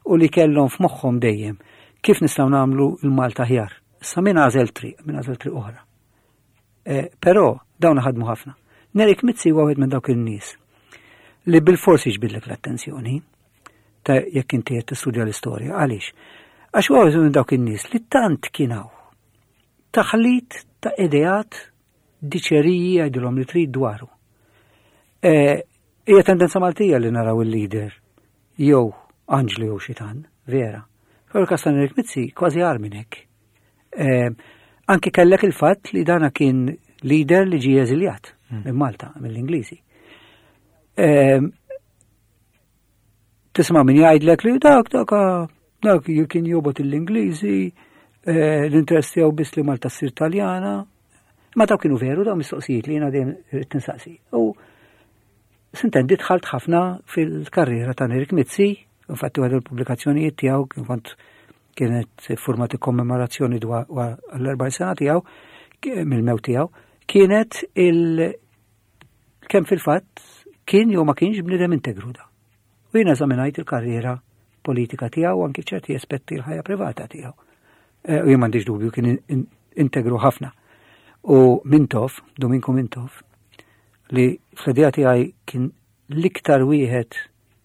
u li kellhom f'moħħhom dejjem kif nistgħu nagħmlu l-Malta aħjar. Issa min għażel triq, min għażel triq oħra. Però dawn ħadmu ħafna. Nerik Mizzi huwa wieħed minn dawk in-nies li bil-forsi jiġbidlek l-attenzjoni ta' jekk inti qed tistudja l-istorja. Għaliex? Għax huwa wieħed minn dawk in-nies li tant kien hawn taħlit ta' ideat diċeriji jgħidilhom li trid dwaru. Hija tendenza Maltija li naraw il-leader jew anġlu jew xitan, vera. Però l-każ ta' Nerik Mizzi kważi agħar minn hekk. Anki kellek il-fatt li dana kien leader li ġie eżiljat minn Malta, mill-Ingliżi. Tisma' min jgħidlek li dak, dak, dak kien jobgħod l-Ingliżi, l-interess tiegħu biss li Malta ssir Taljana. Ma dawk kienu veru, dawn mistoqsijiet li jiena dejjem irrid tinsaqsi. U sintendi dħalt ħafna fil-karriera ta' Nerik Mizzi, infatti waħda l-pubblikazzjonijiet tiegħu kien kont kienet format kommemorazzjoni dwar l-40 sena tiegħu mill-mewt tiegħu, kienet il kemm fil-fatt kien jew ma kienx bniedem integru da. U jiena eżaminajt il-karriera politika tiegħu anki ċerti aspetti l-ħajja privata tiegħu. U jien m'għandix dubju kien integru ħafna. U Mintoff, Duminku Mintoff, li fl-idea tiegħi kien l-iktar wieħed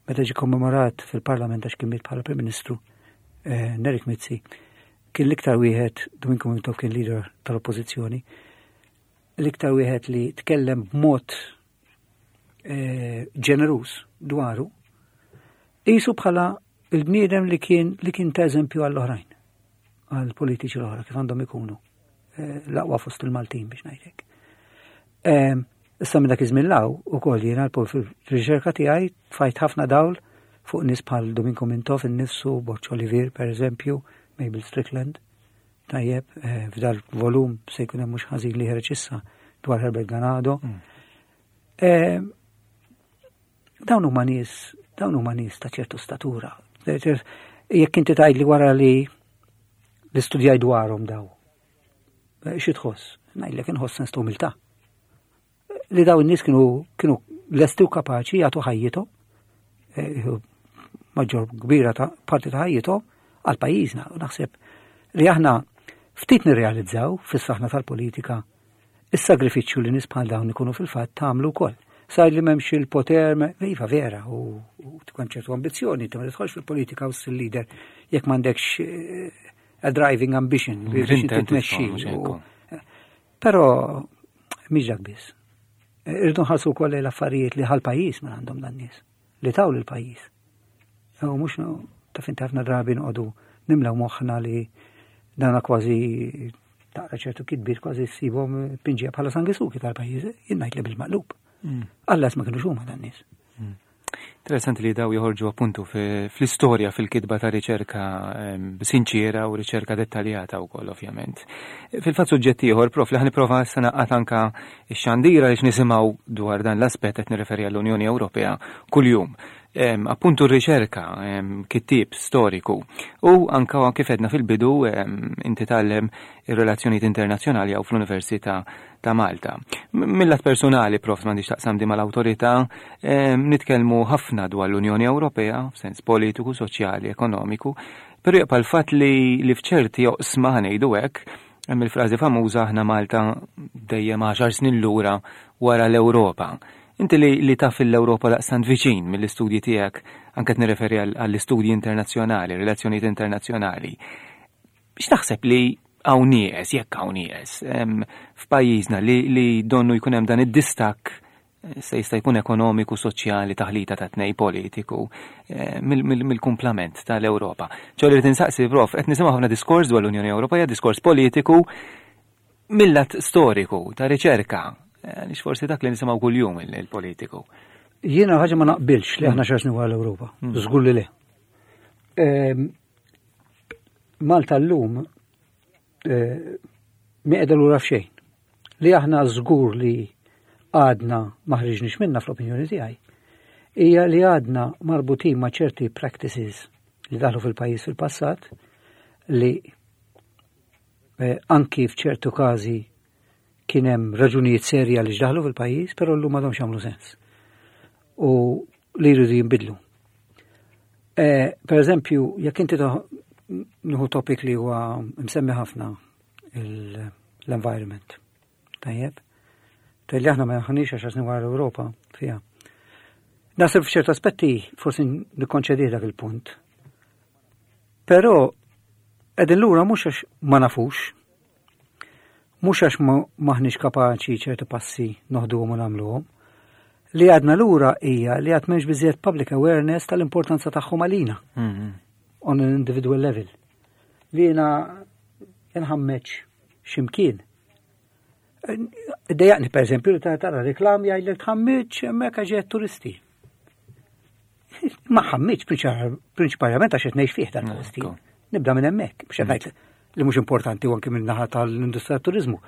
meta ġie kommemorat fil-Parlament għax kien miet bħala Prim Ministru Nerik Mizzi, kien l-iktar wieħed, Duminku Mintoff kien leader tal-Oppożizzjoni, l-iktar wieħed li tkellem b'mod ġeneruż dwaru, qisu bħala il-bniedem li kien li kien ta' eżempju għall-oħrajn, għall-politiċi l-oħra kif għandhom ikunu l-aqwa fost il-Maltin biex ngħidlek. Issa minn dak iż-żmien law ukoll jiena fil-riċerka tiegħi tfajt ħafna dawl fuq nies bħal Duminku Mintoff innifsu, Borg Olivier per eżempju, Mabel Strickland. Tajjeb, f'dal volum se jkun hemm mhux ħażin li ħereġ issa dwar Herbert Ganado. Dawn huma nies, dawn huma nies ta' ċertu statura. Jekk inti tgħidli wara li l-istudjaj dwarhom daw, xi tħoss? Ngħidlek inħoss sens ta' umiltà. Li daw in-nies kienu lesti u kapaċi jagħtu ħajjithom, maġġor kbira ta' parti ta' ħajjithom għal pajjiżna. U naħseb li aħna ftit nirrealizzaw fis-saħna tal-politika. Is-sagrifiċċju li nies bħal dawn ikunu fil-fatt tagħmlu wkoll. Sar li m'hemmx il-poter, iva vera, u tkun ċertu ambizzjoni, inti ma tidħolx fil-politika u ssir leader jekk m'għandekx eh, a driving ambition biex inti tmexxi. Però mhix dak biss. Irridu nħarsu wkoll l-affarijiet li ħal-pajjiż ma għandhom dan nies, li taw lill-pajjiż. U mhux taf inti ħafna drabi noqogħdu nimlew moħħna li dana kważi taqra ċertu kitbiet kważi ssibhom pinġija bħala sangisuki tal-pajjiż, jien ngħid li bil-maqlub. Mm. Allas ma kienux huma dan nies. Mm. Interessanti li daw joħorġu appuntu fl-istorja fil-kitba ta' riċerka ehm, sinċiera u riċerka dettaljata wkoll ovvjament. Fil-fatt suġġett ieħor prof li ħaniprova issa naqgħad anka x-xandira biex nisimgħu dwar dan l-aspett qed nirreferi għall-Unjoni Ewropea kuljum. Ehm, appuntu r-riċerka, ehm, kittieb storiku u anka kif edna fil-bidu inti tgħallem ir-relazzjonijiet internazzjonali hawn fl-Università ta' Malta. Mill-lat personali, prof, m'għandix taqsam di mal-awtorità, nitkellmu ħafna dwar l-Unjoni Ewropea f'sens politiku, soċjali, ekonomiku, però jibqa' l-fatt li, li f'ċerti oqsma ħanejdu hekk, hemm il-frażi famuża aħna Malta dejjem għaxar snin lura wara l-Ewropa. Inti li, li taf l-Ewropa daqstant viċin mill-istudji tiegħek, anke qed nirreferi għall-istudji internazzjonali, relazzjonijiet internazzjonali. X'taħseb li hawn nieqes, jekk hawn nieqes, f'pajjiżna li, li donnu jkun hemm dan id-distakk eh, se jista' jkun ekonomiku, soċjali, taħlita ta' tnej politiku eh, mill-kumplament tal-Ewropa. ċo li tinsaqsi, prof, qed nisimgħu ħafna diskors dwar l-Unjoni Ewropea, diskors politiku mill-lat storiku ta' riċerka, eh, għaliex forsi dak li nisimgħu kuljum il-politiku. Jiena ħaġa ma naqbilx li aħna xarsni wara l-Ewropa, mm. żgur li le. Ehm, Malta llum eh, miqeda lura f'xejn. Li aħna żgur li għadna ma ħriġniex minna fl-opinjoni tiegħi hija li għadna marbutin ma' ċerti practices li daħlu fil-pajjiż fil-passat li eh, anki f'ċertu każi kien hemm raġunijiet serji għaliex daħlu fil-pajjiż, però llum m'għadhomx jagħmlu sens. U li jridu jinbidlu. E, per eżempju, jekk inti nieħu topic li huwa msemmi ħafna l-environment. Tajjeb? Tajjeb li aħna ma ħanix għax snin wara l-Ewropa fiha. Naħseb f'ċertu aspetti forsi nikkonċedi dak il-punt. Però qegħdin lura mhux għax ma nafux, Mhux għax m'aħniex kapaċi ċertu passi noħduhom u nagħmluhom. Li għadna lura hija li għad m'hemmx biżejjed public awareness tal-importanza tagħhom għalina. Mhm. On an individual level. Li jiena nħammeġ x'imkien. Dejjaqni per eżempju li tara reklam jgħidlek tħammiġ hemmhekk għax turisti. Ma ħammiġ prinċipalment għax qed ngħix fih dal-posti. Nibda minn hemmhekk biex qed ngħid li mhux importanti u anke minn naħa tal-industrija turizmu.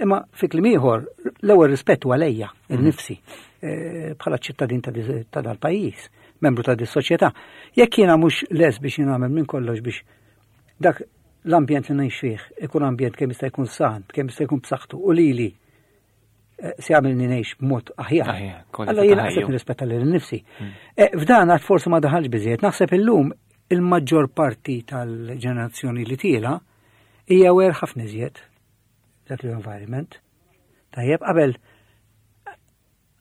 Imma fi kliem ieħor, l-ewwel rispett huwa lejja, mm. innifsi, eh, bħala ċittadin ta' dal-pajjiż, membru ta' dis-soċjetà. Jekk jiena mhux les biex jien nagħmel minn kollox biex dak l-ambjent li ngħix fih ikun ambjent kemm jista' jkun san, kemm jista' jkun b'saħħtu u lili Eh, se jagħmilni ngħix b'mod aħjar. Alla jiena qed nirrispetta lil nifsi. Hmm. Eh, f'dan għad forsi ma daħalx biżejjed, naħseb illum il-maġġor parti tal-ġenerazzjoni li tiela hija wer ħafna iżjed dak l-environment. Tajjeb, qabel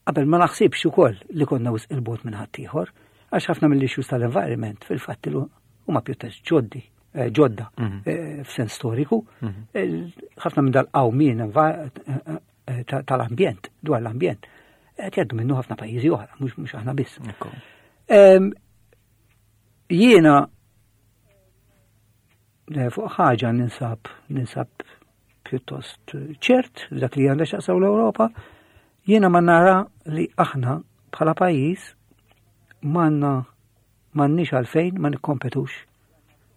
qabel ma naħsibx ukoll li konna wisq il-bot minn ħaddieħor, għax ħafna mill-issues tal-environment fil-fatt huma pjuttost ġoddi. Eh, ġodda mhm. eh, f'sens storiku, mhm. ħafna minn dal-qawmien eh, tal-ambjent, dwar l-ambjent, qed jgħaddu minnu ħafna pajjiżi oħra, mhux aħna biss. Jiena fuq ħaġa ninsab ninsab pjuttost ċert dak li għandha x'aqsaw l-Ewropa, jiena ma nara li aħna bħala pajjiż m'għandna m'għandniex għalfejn ma nikkompetux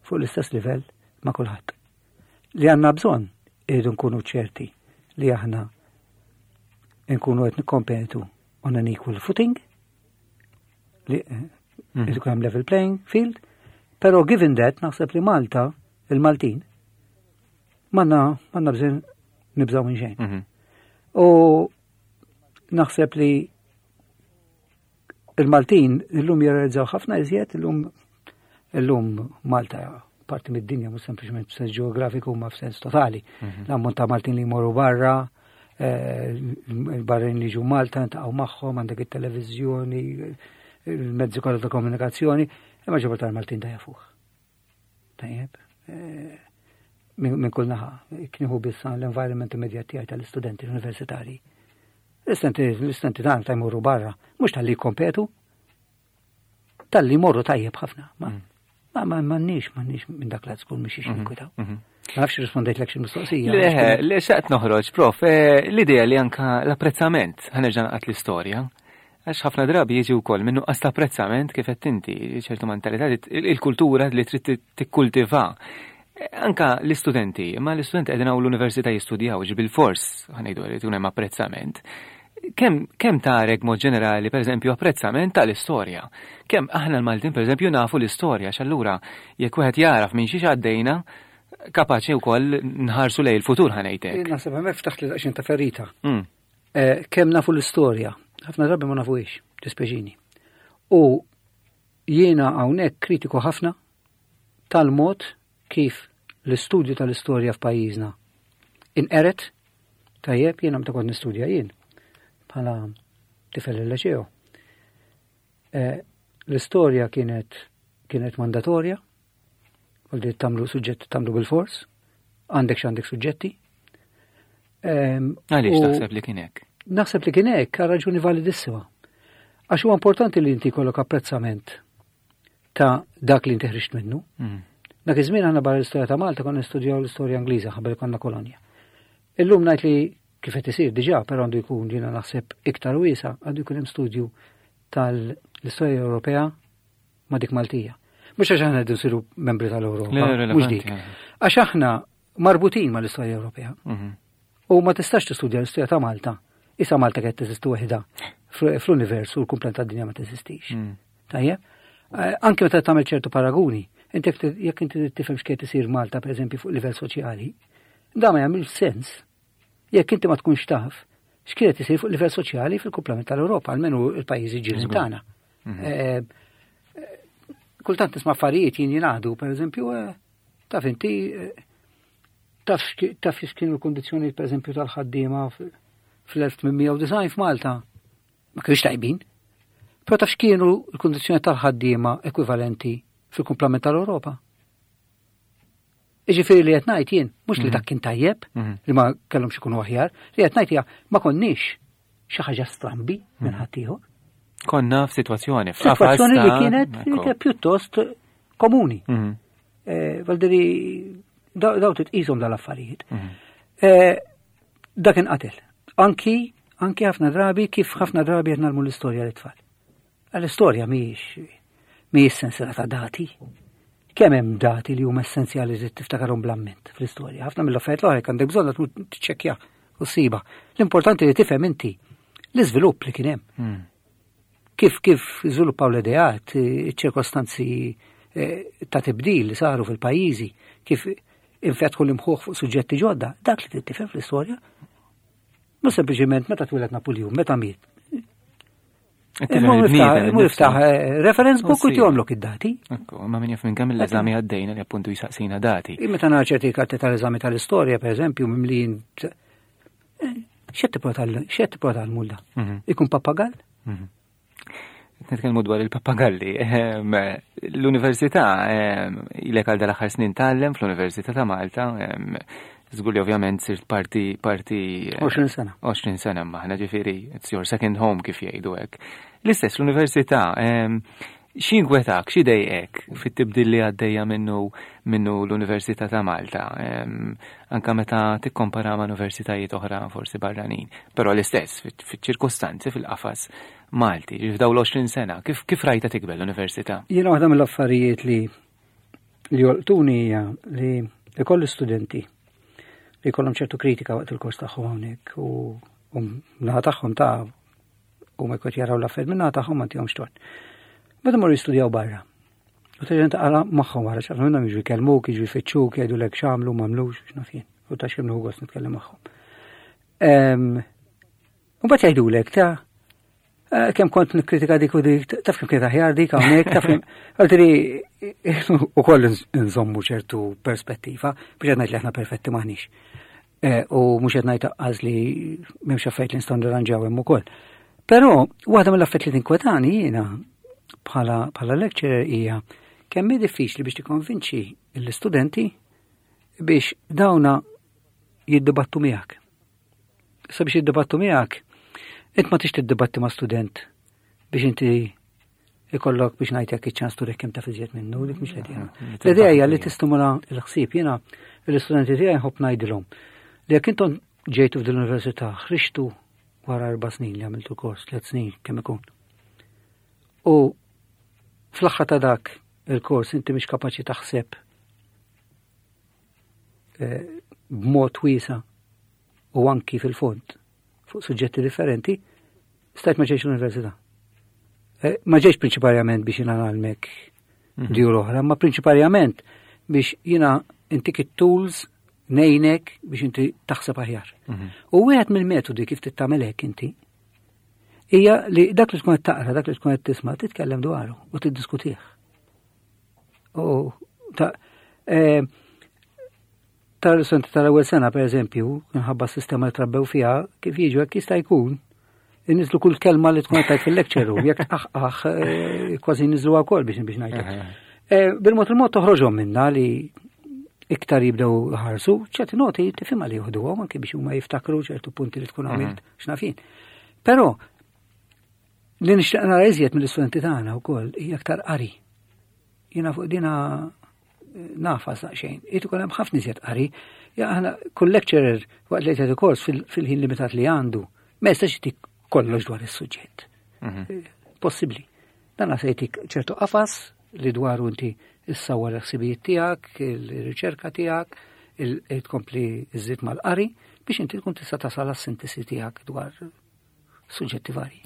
fuq l-istess livell ma' kulħadd. Li għandna bżonn irridu nkunu ċerti li aħna nkunu qed nikkompetu on an equal footing li eh, mm. ikun hemm level playing field, però given that naħseb li Malta, il-Maltin, manna manna bżonn nibżgħu minn xejn. Mhm. U naħseb li Il-Maltin illum jirrealizzaw ħafna iżjed illum illum Malta parti mid-dinja mhux sempliċement f'sens ġeografiku ma f'sens totali. Mhm. L-ammont ta' Maltin li jmorru barra, eh, il-barrin li ġu Malta ntaqgħu magħhom, għandek it-televiżjoni, il-mezzi kollha ta' komunikazzjoni, imma ġobor tal-Maltin da jafuh. Tajjeb. Eh, minn kull naħa, knieħu biss l-environment immedjat tiegħi tal-istudenti universitari. L-istudenti tagħna ta' jmorru barra, mhux tal-li jkompetu, tal-li jmorru tajjeb ħafna. Ma mm. ma ma m'għandniex m'għandniex minn dak l żgur mhix mm-hmm. ninkwitaw. Mm-hmm. Ma nafx rispondejt lek xi mistoqsija. Le, le xaqt noħroġ, prof, eh, l-idea li anka l-apprezzament ħanerġa' naqgħod l-istorja. Għax ħafna drabi jiġi wkoll minn nuqqas ta' apprezzament kif qed inti, ċertu mentalità, il-kultura li trid tikkultiva. Anka l-istudenti, imma l-istudenti qegħdin hawn l-università jistudjaw, ġi bil-fors, ħanejdu li tkun hemm apprezzament. Kemm kemm tarek mod ġenerali, pereżempju, apprezzament tal-istorja? Kemm aħna l-Maltin, pereżempju, nafu l-istorja, x'allura jekk wieħed jaraf minn xiex għaddejna, kapaċi wkoll nħarsu lejn il-futur ħanejtek. Naħseb hemmhekk ftaħt li daqsxejn ta' ferita. Mm. Eh, kemm nafu l-istorja, ħafna drabi ma nafuhiex, dispeġini. U jiena hawnhekk kritiku ħafna tal-mod kif l-istudju tal-istorja f'pajjiżna inqeret tajjeb jiena meta kont nistudja jien bħala tifel il-leċeo. Eh, l-istorja kienet kienet mandatorja, Għaldi tamlu suġġett tamlu bil-fors, għandek x'għandek suġġetti. Ehm, Għaliex taħseb li kien hekk? Naħseb li kien hekk għal raġuni validissima. Għax huwa importanti li inti jkollok apprezzament ta' dak li inti ħriġt minnu. Mm. Dak iż-żmien aħna barra l-istorja ta' Malta konna nistudjaw l-istorja Ingliża qabel konna kolonja. Illum ngħid li kif qed isir diġà, però għandu jkun jiena naħseb iktar wiesa, għandu jkun hemm studju tal-istorja Ewropea ma' dik Maltija. Mhux għax aħna rridu nsiru membri tal-Ewropa, mhux dik. Għax aħna marbutin mal-istorja Ewropea. Mhm. U ma tistax tistudja l-istorja ta' Malta. Issa Malta qed teżisti waħda fl-univers u l-kumplent tad-dinja ma teżistix. Mm. Tajjeb? Eh, anke meta tagħmel ċertu paraguni, inti jekk inti tifhem x'qiegħed isir Malta pereżempju fuq livell soċjali, da ma jagħmilx sens Jekk inti ma tkunx taf x'kienet isir fuq livell soċjali fil-kumplament tal-Ewropa, almenu il-pajjiżi ġirien tagħna. Mhm. Eh, eh, kultant nisma' affarijiet jien jingħadu, pereżempju, eh, taf inti taf taf x'kienu l-kundizzjonijiet pereżempju tal-ħaddiema fl-1890 f'Malta. Ma kienux tajbin. Però taf x'kienu l-kundizzjoni tal-ħaddiema ekwivalenti fil-kumplament tal-Ewropa. Iġifieri li qed ngħid jien, mhux li mhm. dak kien tajjeb, mhm. li ma kellhomx ikunu aħjar, li qed ngħid hija ma konniex xi ħaġa strambi minn mhm. ħaddieħor. Konna f'sitwazzjoni, f'sitwazzjoni li kienet pjuttost komuni. Eh, Valdiri, daw titqishom dal-affarijiet. Eh, dak inqatel. Anki, anki ħafna drabi kif ħafna drabi qed nagħmlu l-istorja l-tfal. L-istorja mhijiex mhijiex sensiela ta' dati. Kemm hemm dati li huma essenzjali li tiftakarhom bl-amment fl-istorja. Ħafna mill-affarijiet l-oħra jekk għandek bżonn tmur tiċċekkja u ssiba. L-importanti li tifhem inti l-iżvilupp li kien hemm. Hmm. Kif kif żviluppaw l-ideat, iċ-ċirkostanzi eh, ta' tibdil li saru fil-pajjiżi, kif infetħu l-imħuħ fuq suġġetti ġodda, dak li tifhem fl-istorja. Mhux sempliċiment meta twieled Napoleon, meta miet. Mur iftaħ eh, reference book u tjomlok id-dati. Ma min jaf minn kemm l-eżami għaddejna li appuntu jisaqsina dati. Meta nara ċerti karti tal-eżami tal-istorja, per eżempju, mimlijin eh, xed tipprova tal-mulda? Mhm. Ikun pappagall? Mhm. Nitkellmu dwar il-pappagalli. Ehm, l-università ehm, ilek għal dal-aħħar snin tgħallem fl-Università ta' Malta. Ehm, żgur li ovvjament sirt parti parti 20 sena. 20 sena maħna ġifieri it's your second home kif jgħidu hekk. L-istess l-università X'jinkwetak, x'idejqek fit-tibdil li għaddejja minnu minnu l-Università ta' Malta, anka meta tikkompara ma' universitajiet oħra forsi barranin, però l-istess fiċ-ċirkostanzi fil-qafas Malti, f'dawn l-20 sena, kif kif rajta tikber l-università? Jiena waħda mill-affarijiet li li jolqtuni hija li ikolli studenti li jkollhom ċertu kritika waqt il-kors tagħhom hawnhekk u naħa tagħhom ta' u ma jkun jaraw l-affarijiet minna tagħhom ma tihomx tort. Meta morru jistudjaw barra. U terġa' taqra magħhom wara x'għal minnhom jiġu jkellmuk, jiġu jfittxuk, jgħidulek x'għamlu, m'għamlux, x'naf jien. U ta' x'kemm nieħu gost nitkellem magħhom. U mbagħad jgħidulek ta' eh, kemm kont nikkritika dik u dik, taf kemm kienet aħjar dik hawnhekk, taf kemm. Għaltri ukoll nżommu ċertu perspettiva biex qed ngħid li aħna perfetti maħniex. Eh, u mhux qed ngħid aqqas li m'hemmx affarijiet li nistgħu nirranġaw hemm ukoll. Però waħda mill-affarijiet li tinkwetani jiena bħala bħala lecturer hija kemm hi diffiċli biex tikkonvinċi l-istudenti biex dawna jiddibattu miegħek. Issa biex jiddibattu miegħek, int ma tix tiddibatti ma' student biex inti ikollok biex ngħidlek iċ-ċans turek kemm taf iżjed minnu, dik mhix l-idea. L-idea hija li tistimula l-ħsieb jiena l-istudenti tiegħi nħobb ngħidilhom li jekk intom ġejtu f'din l-università ħriġtu wara erba' snin li għamiltu kors, tliet snin kemm ikun. U fl-aħħar ta' dak il-kors inti mhix kapaċi taħseb eh, b'mod wiesa u anki fil-fond fuq suġġetti differenti, stajt ma ġejx l-università. Eh, ma ġejx prinċiparjament biex jina għalmek mhm. djur oħra, ma prinċiparjament biex jina intik it-tools nejnek biex inti taħseb aħjar. Mhm. U wieħed mill-metodi kif tittamel hekk inti hija li dak li tkun qed taqra, dak li tkun qed tisma' titkellem dwaru u tiddiskutih. U ta' eh, Tal-studenti tal-ewwel sena, per eżempju, minħabba s-sistema li trabbew fiha, kif jiġu hekk jista' jkun, inniżlu kull kelma li tkun qed fil-lecture room, jekk tqaħqaħ eh, kważi niżlu wkoll biex biex ngħidlek. Eh, bil-mod il-mod toħroġhom minna li iktar jibdew ħarsu, ċerti noti tifhimha li joħduhom anke biex huma jiftakru ċertu punti li tkun għamilt mhm. x'nafin. Però li nixtieq nara iżjed mill-istudenti tagħna wkoll hija aktar qari. Jiena fuq dina nafas daqsxejn. Irid ikun hemm ħafna iżjed qari. Ja aħna kull lecturer waqt li jagħti kors fil-ħin limitat li għandu, ma jistax jtik kollox dwar is-suġġett. Mhm. Eh, possibbli. Dan se jtik ċertu qafas li dwaru inti issawwar il-ħsibijiet tiegħek, il-riċerka tiegħek, il-tkompli iżid mal-qari biex inti tkun tista' tasal għas-sintesi tiegħek dwar suġġetti varji.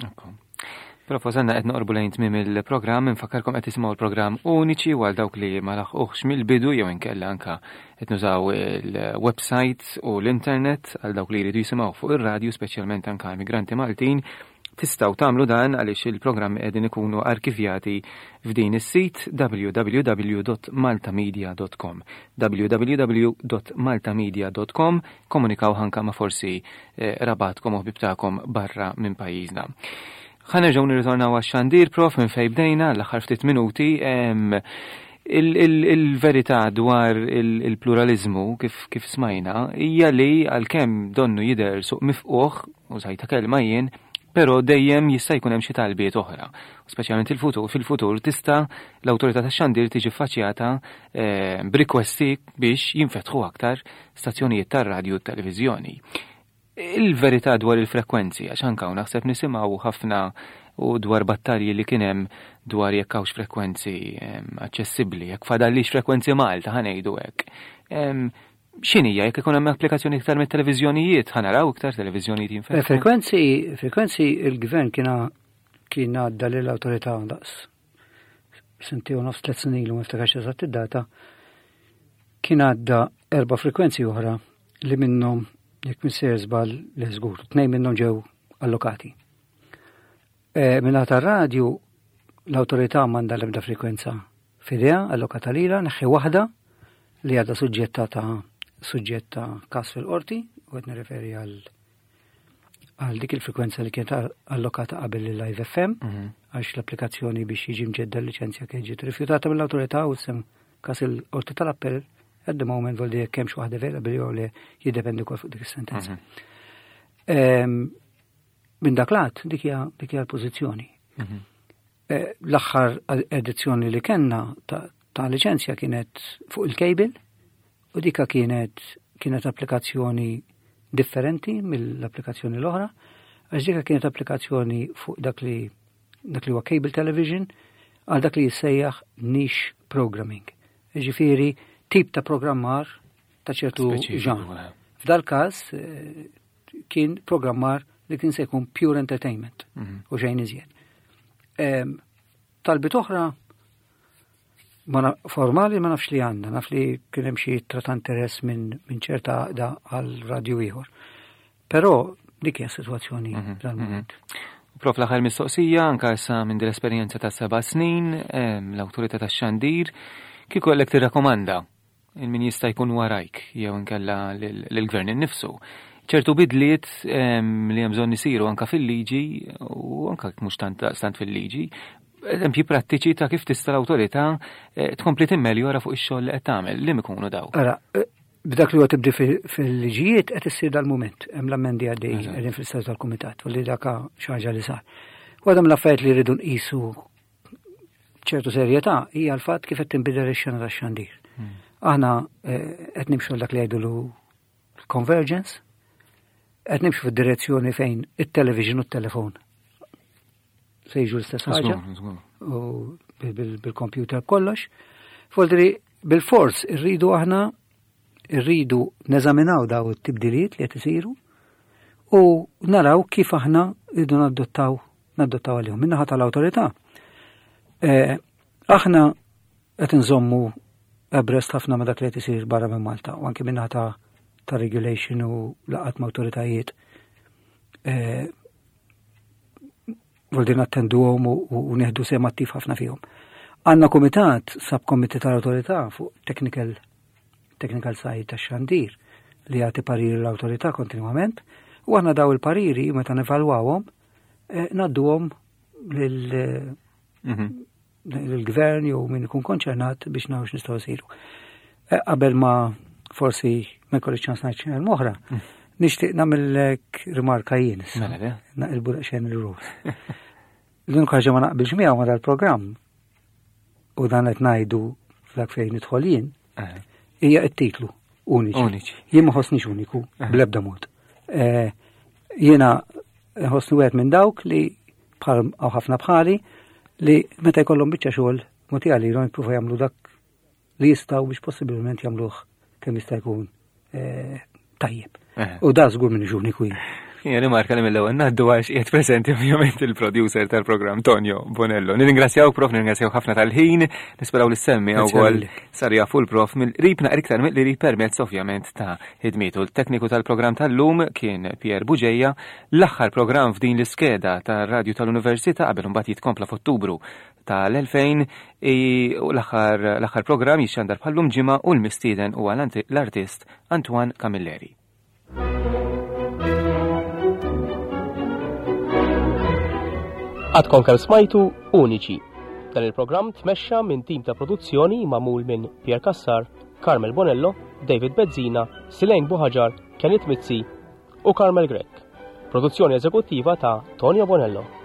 Prof, wasalna qed noqorbu lejn tmiem il-programm, infakkarkom qed tisimgħu l-programm uniċi għal dawk li ma laħquhx mill-bidu jew inkella anka qed nużaw il-websites u l-internet għal dawk li jridu jisimgħu fuq ir-radju, speċjalment anka immigranti Maltin. Tistgħu tagħmlu dan għaliex il-programmi qegħdin ikunu arkivjati f'din is-sit www.maltamedia.com www.maltamedia.com Komunikaw anka ma' forsi eh, rabatkom u ħbib tagħkom barra minn pajjiżna. Ħa nerġgħu nirritornaw għax-xandir prof minn fejn bdejna l-aħħar ftit minuti. Il-verità dwar il-pluralizmu kif, kif smajna hija li għalkemm donnu jidher suq mifquħ u sajta kelma jien, però dejjem jista' jkun hemm xi talbiet oħra. Speċjalment il-futur, fil-futur tista' l-awtorità tax-xandir tiġi ffaċjata eh, b'rikwesti biex jinfetħu aktar stazzjonijiet tar-radju u t-televiżjoni. Il-verità dwar il-frekwenzi, għax anke hawn naħseb nisimgħu ħafna u dwar battalji li kien hemm dwar jekk hawnx frekwenzi aċċessibbli, jekk fadallix frekwenzi Malta ħa ngħidu hekk. X'inhija jekk ikun hemm applikazzjoni iktar mit-televiżjonijiet, ħa naraw iktar televiżjonijiet jinfetħu. Eh, frekwenzi, frekwenzi il-gvern kien kien għadda lill-awtorità daqs sentej u nofs tliet snin ilu ma niftakarx eżatt id-data, kien għadda erba' frekwenzi oħra li minnhom jekk minn sejjer żball li żgur, tnejn minnhom ġew allokati. E, Minna tar-radju l-awtorità m'għandha l-ebda frekwenza f'idea allokata lilha, neħħi waħda li għadha suġġetta ta' suġġett ta' każ fil-qorti u qed nirreferi għal għal dik il-frekwenza li kienet allokata qabel il Live FM, mhm. għax l-applikazzjoni biex jiġi mġedda l-liċenzja kien ġiet rifjutata mill-awtorità u sem kas il-qorti tal-appell at the moment voldi jekk hemmx waħda available jew li jiddependi wkoll fuq dik is-sentenza. Mhm. Ehm, minn dak lat dik hija dik hija l-pożizzjoni. Mhm. Eh, l-aħħar edizzjoni li kellna ta' liċenzja kienet fuq il-cable u dika kienet kienet applikazzjoni differenti mill-applikazzjoni l-oħra, għax dika kienet applikazzjoni fuq dak li dak li huwa cable television għal dak li jissejjaħ niche programming. Ġifieri tip ta' programmar ta' ċertu ġan. Eh. F'dal każ eh, kien programmar li kien se jkun pure entertainment mhm. u xejn iżjed. Talbiet oħra ma formali ma nafx li għandna, naf li kien hemm xi ittra ta' interess minn min ċerta għaqda għal radju ieħor. Però dik hija sitwazzjoni mhm, dal-moment. Mhm. Prof l-aħħar mistoqsija, anka issa minn din l-esperjenza ta' seba' snin, l-awtorità tax-xandir, kieku għallek tirrakkomanda? il-min jista' jkun warajk jew inkella lill-gvern innifsu. Ċertu bidliet li hemm bżonn isiru anka fil-liġi u anka mhux tant daqstant fil-liġi, eżempji prattiċi ta' kif tista' l-awtorità eh, tkompli timmeljora fuq ix-xogħol li qed tagħmel, li ikunu dawk. Ara, eh, b'dak li huwa tibdi fil-liġijiet qed issir dal-mument, hemm l-ammendi għaddejjin qegħdin fl-istat tal-kumitat u li dak xi ħaġa li sar. Waħda mill-affarijiet li rridu nqisu ċertu serjetà hija l-fatt kif qed tinbidel ix-xena tax-xandir. Hmm. Aħna eh, qed nimxu dak li jgħidulu convergence, qed nimxu fid-direzzjoni fejn it-television u t-telefon se jiġu l-istess ħaġa u bil-computer kollox. Foldri bil-fors irridu aħna irridu neżaminaw daw it-tibdiliet li qed isiru u naraw kif aħna rridu nadottaw nadottaw għalihom. Minnaħa tal-awtorità. Eh, aħna qed inżommu abreast ħafna ma' dak li qed isir barra minn Malta u anke minnaħa ta' ta' regulation u laqat ma' awtoritajiet. Eh, Voldi nattenduhom u nieħdu sehem attiv ħafna fihom. Għandna kumitat, subcommittee tal-awtorità fuq technical technical side tax-xandir li jagħti pariri l-awtorità kontinwament u aħna daw il-pariri meta nevalwawhom eh, ngħadduhom lil mhm. lill-gvern jew min ikun konċernat biex naraw x'nistgħu nsiru. Eh, qabel ma forsi ma jkolli ċans ngħid xi oħra, mm. nixtieq nagħmellek rimarka jien issa. Mela, Naqilbu daqsxejn il-rules. L-unika ħaġa ma naqbilx miegħu ma dal-programm u dan qed ngħidu f'dak fejn nidħol jien, eh. hija t-titlu uniċi. Uniċi. Jien ma ħossnix uniku eh. bl-ebda mod. Jiena ħossni wieħed minn dawk li bħal ħafna bħali li meta jkollhom biċċa xogħol mogħti għalihom jippruvaw jagħmlu dak li jistgħu biex possibilment jagħmluh kemm jista' jkun eh, tajjeb. Eh. U da żgur minn uniku jien. Hija rimarka li mill-ewwel ngħaddu għax qiegħed preżenti ovvjament il-producer tal-programm Tonio Bonello. Nirringrazzjaw prof, nirringrazzjaw ħafna tal-ħin, nisperaw li semmi wkoll sar jafu l-prof mill-qrib naqra iktar mill-qrib permezz ovvjament ta' ħidmietu. Il-tekniku tal-programm tal-lum kien Pier Buġeja, L-aħħar programm f'din l-iskeda tar-Radju tal-Università qabel imbagħad jitkompla f'Ottubru tal-2000 u l-aħħar l-aħħar programm jixxandar bħal-lum ġimgħa u l-mistieden huwa l-artist Antoine Camilleri. Għadkom kemm smajtu Uniċi. Dan il-programm tmexxa minn tim ta' produzzjoni magħmul minn Pierre Cassar, Carmel Bonello, David Bezzina, Silejn Buħaġar, Kenneth Mizzi u Carmel Grech. Produzzjoni eżekuttiva ta' Tonio Bonello.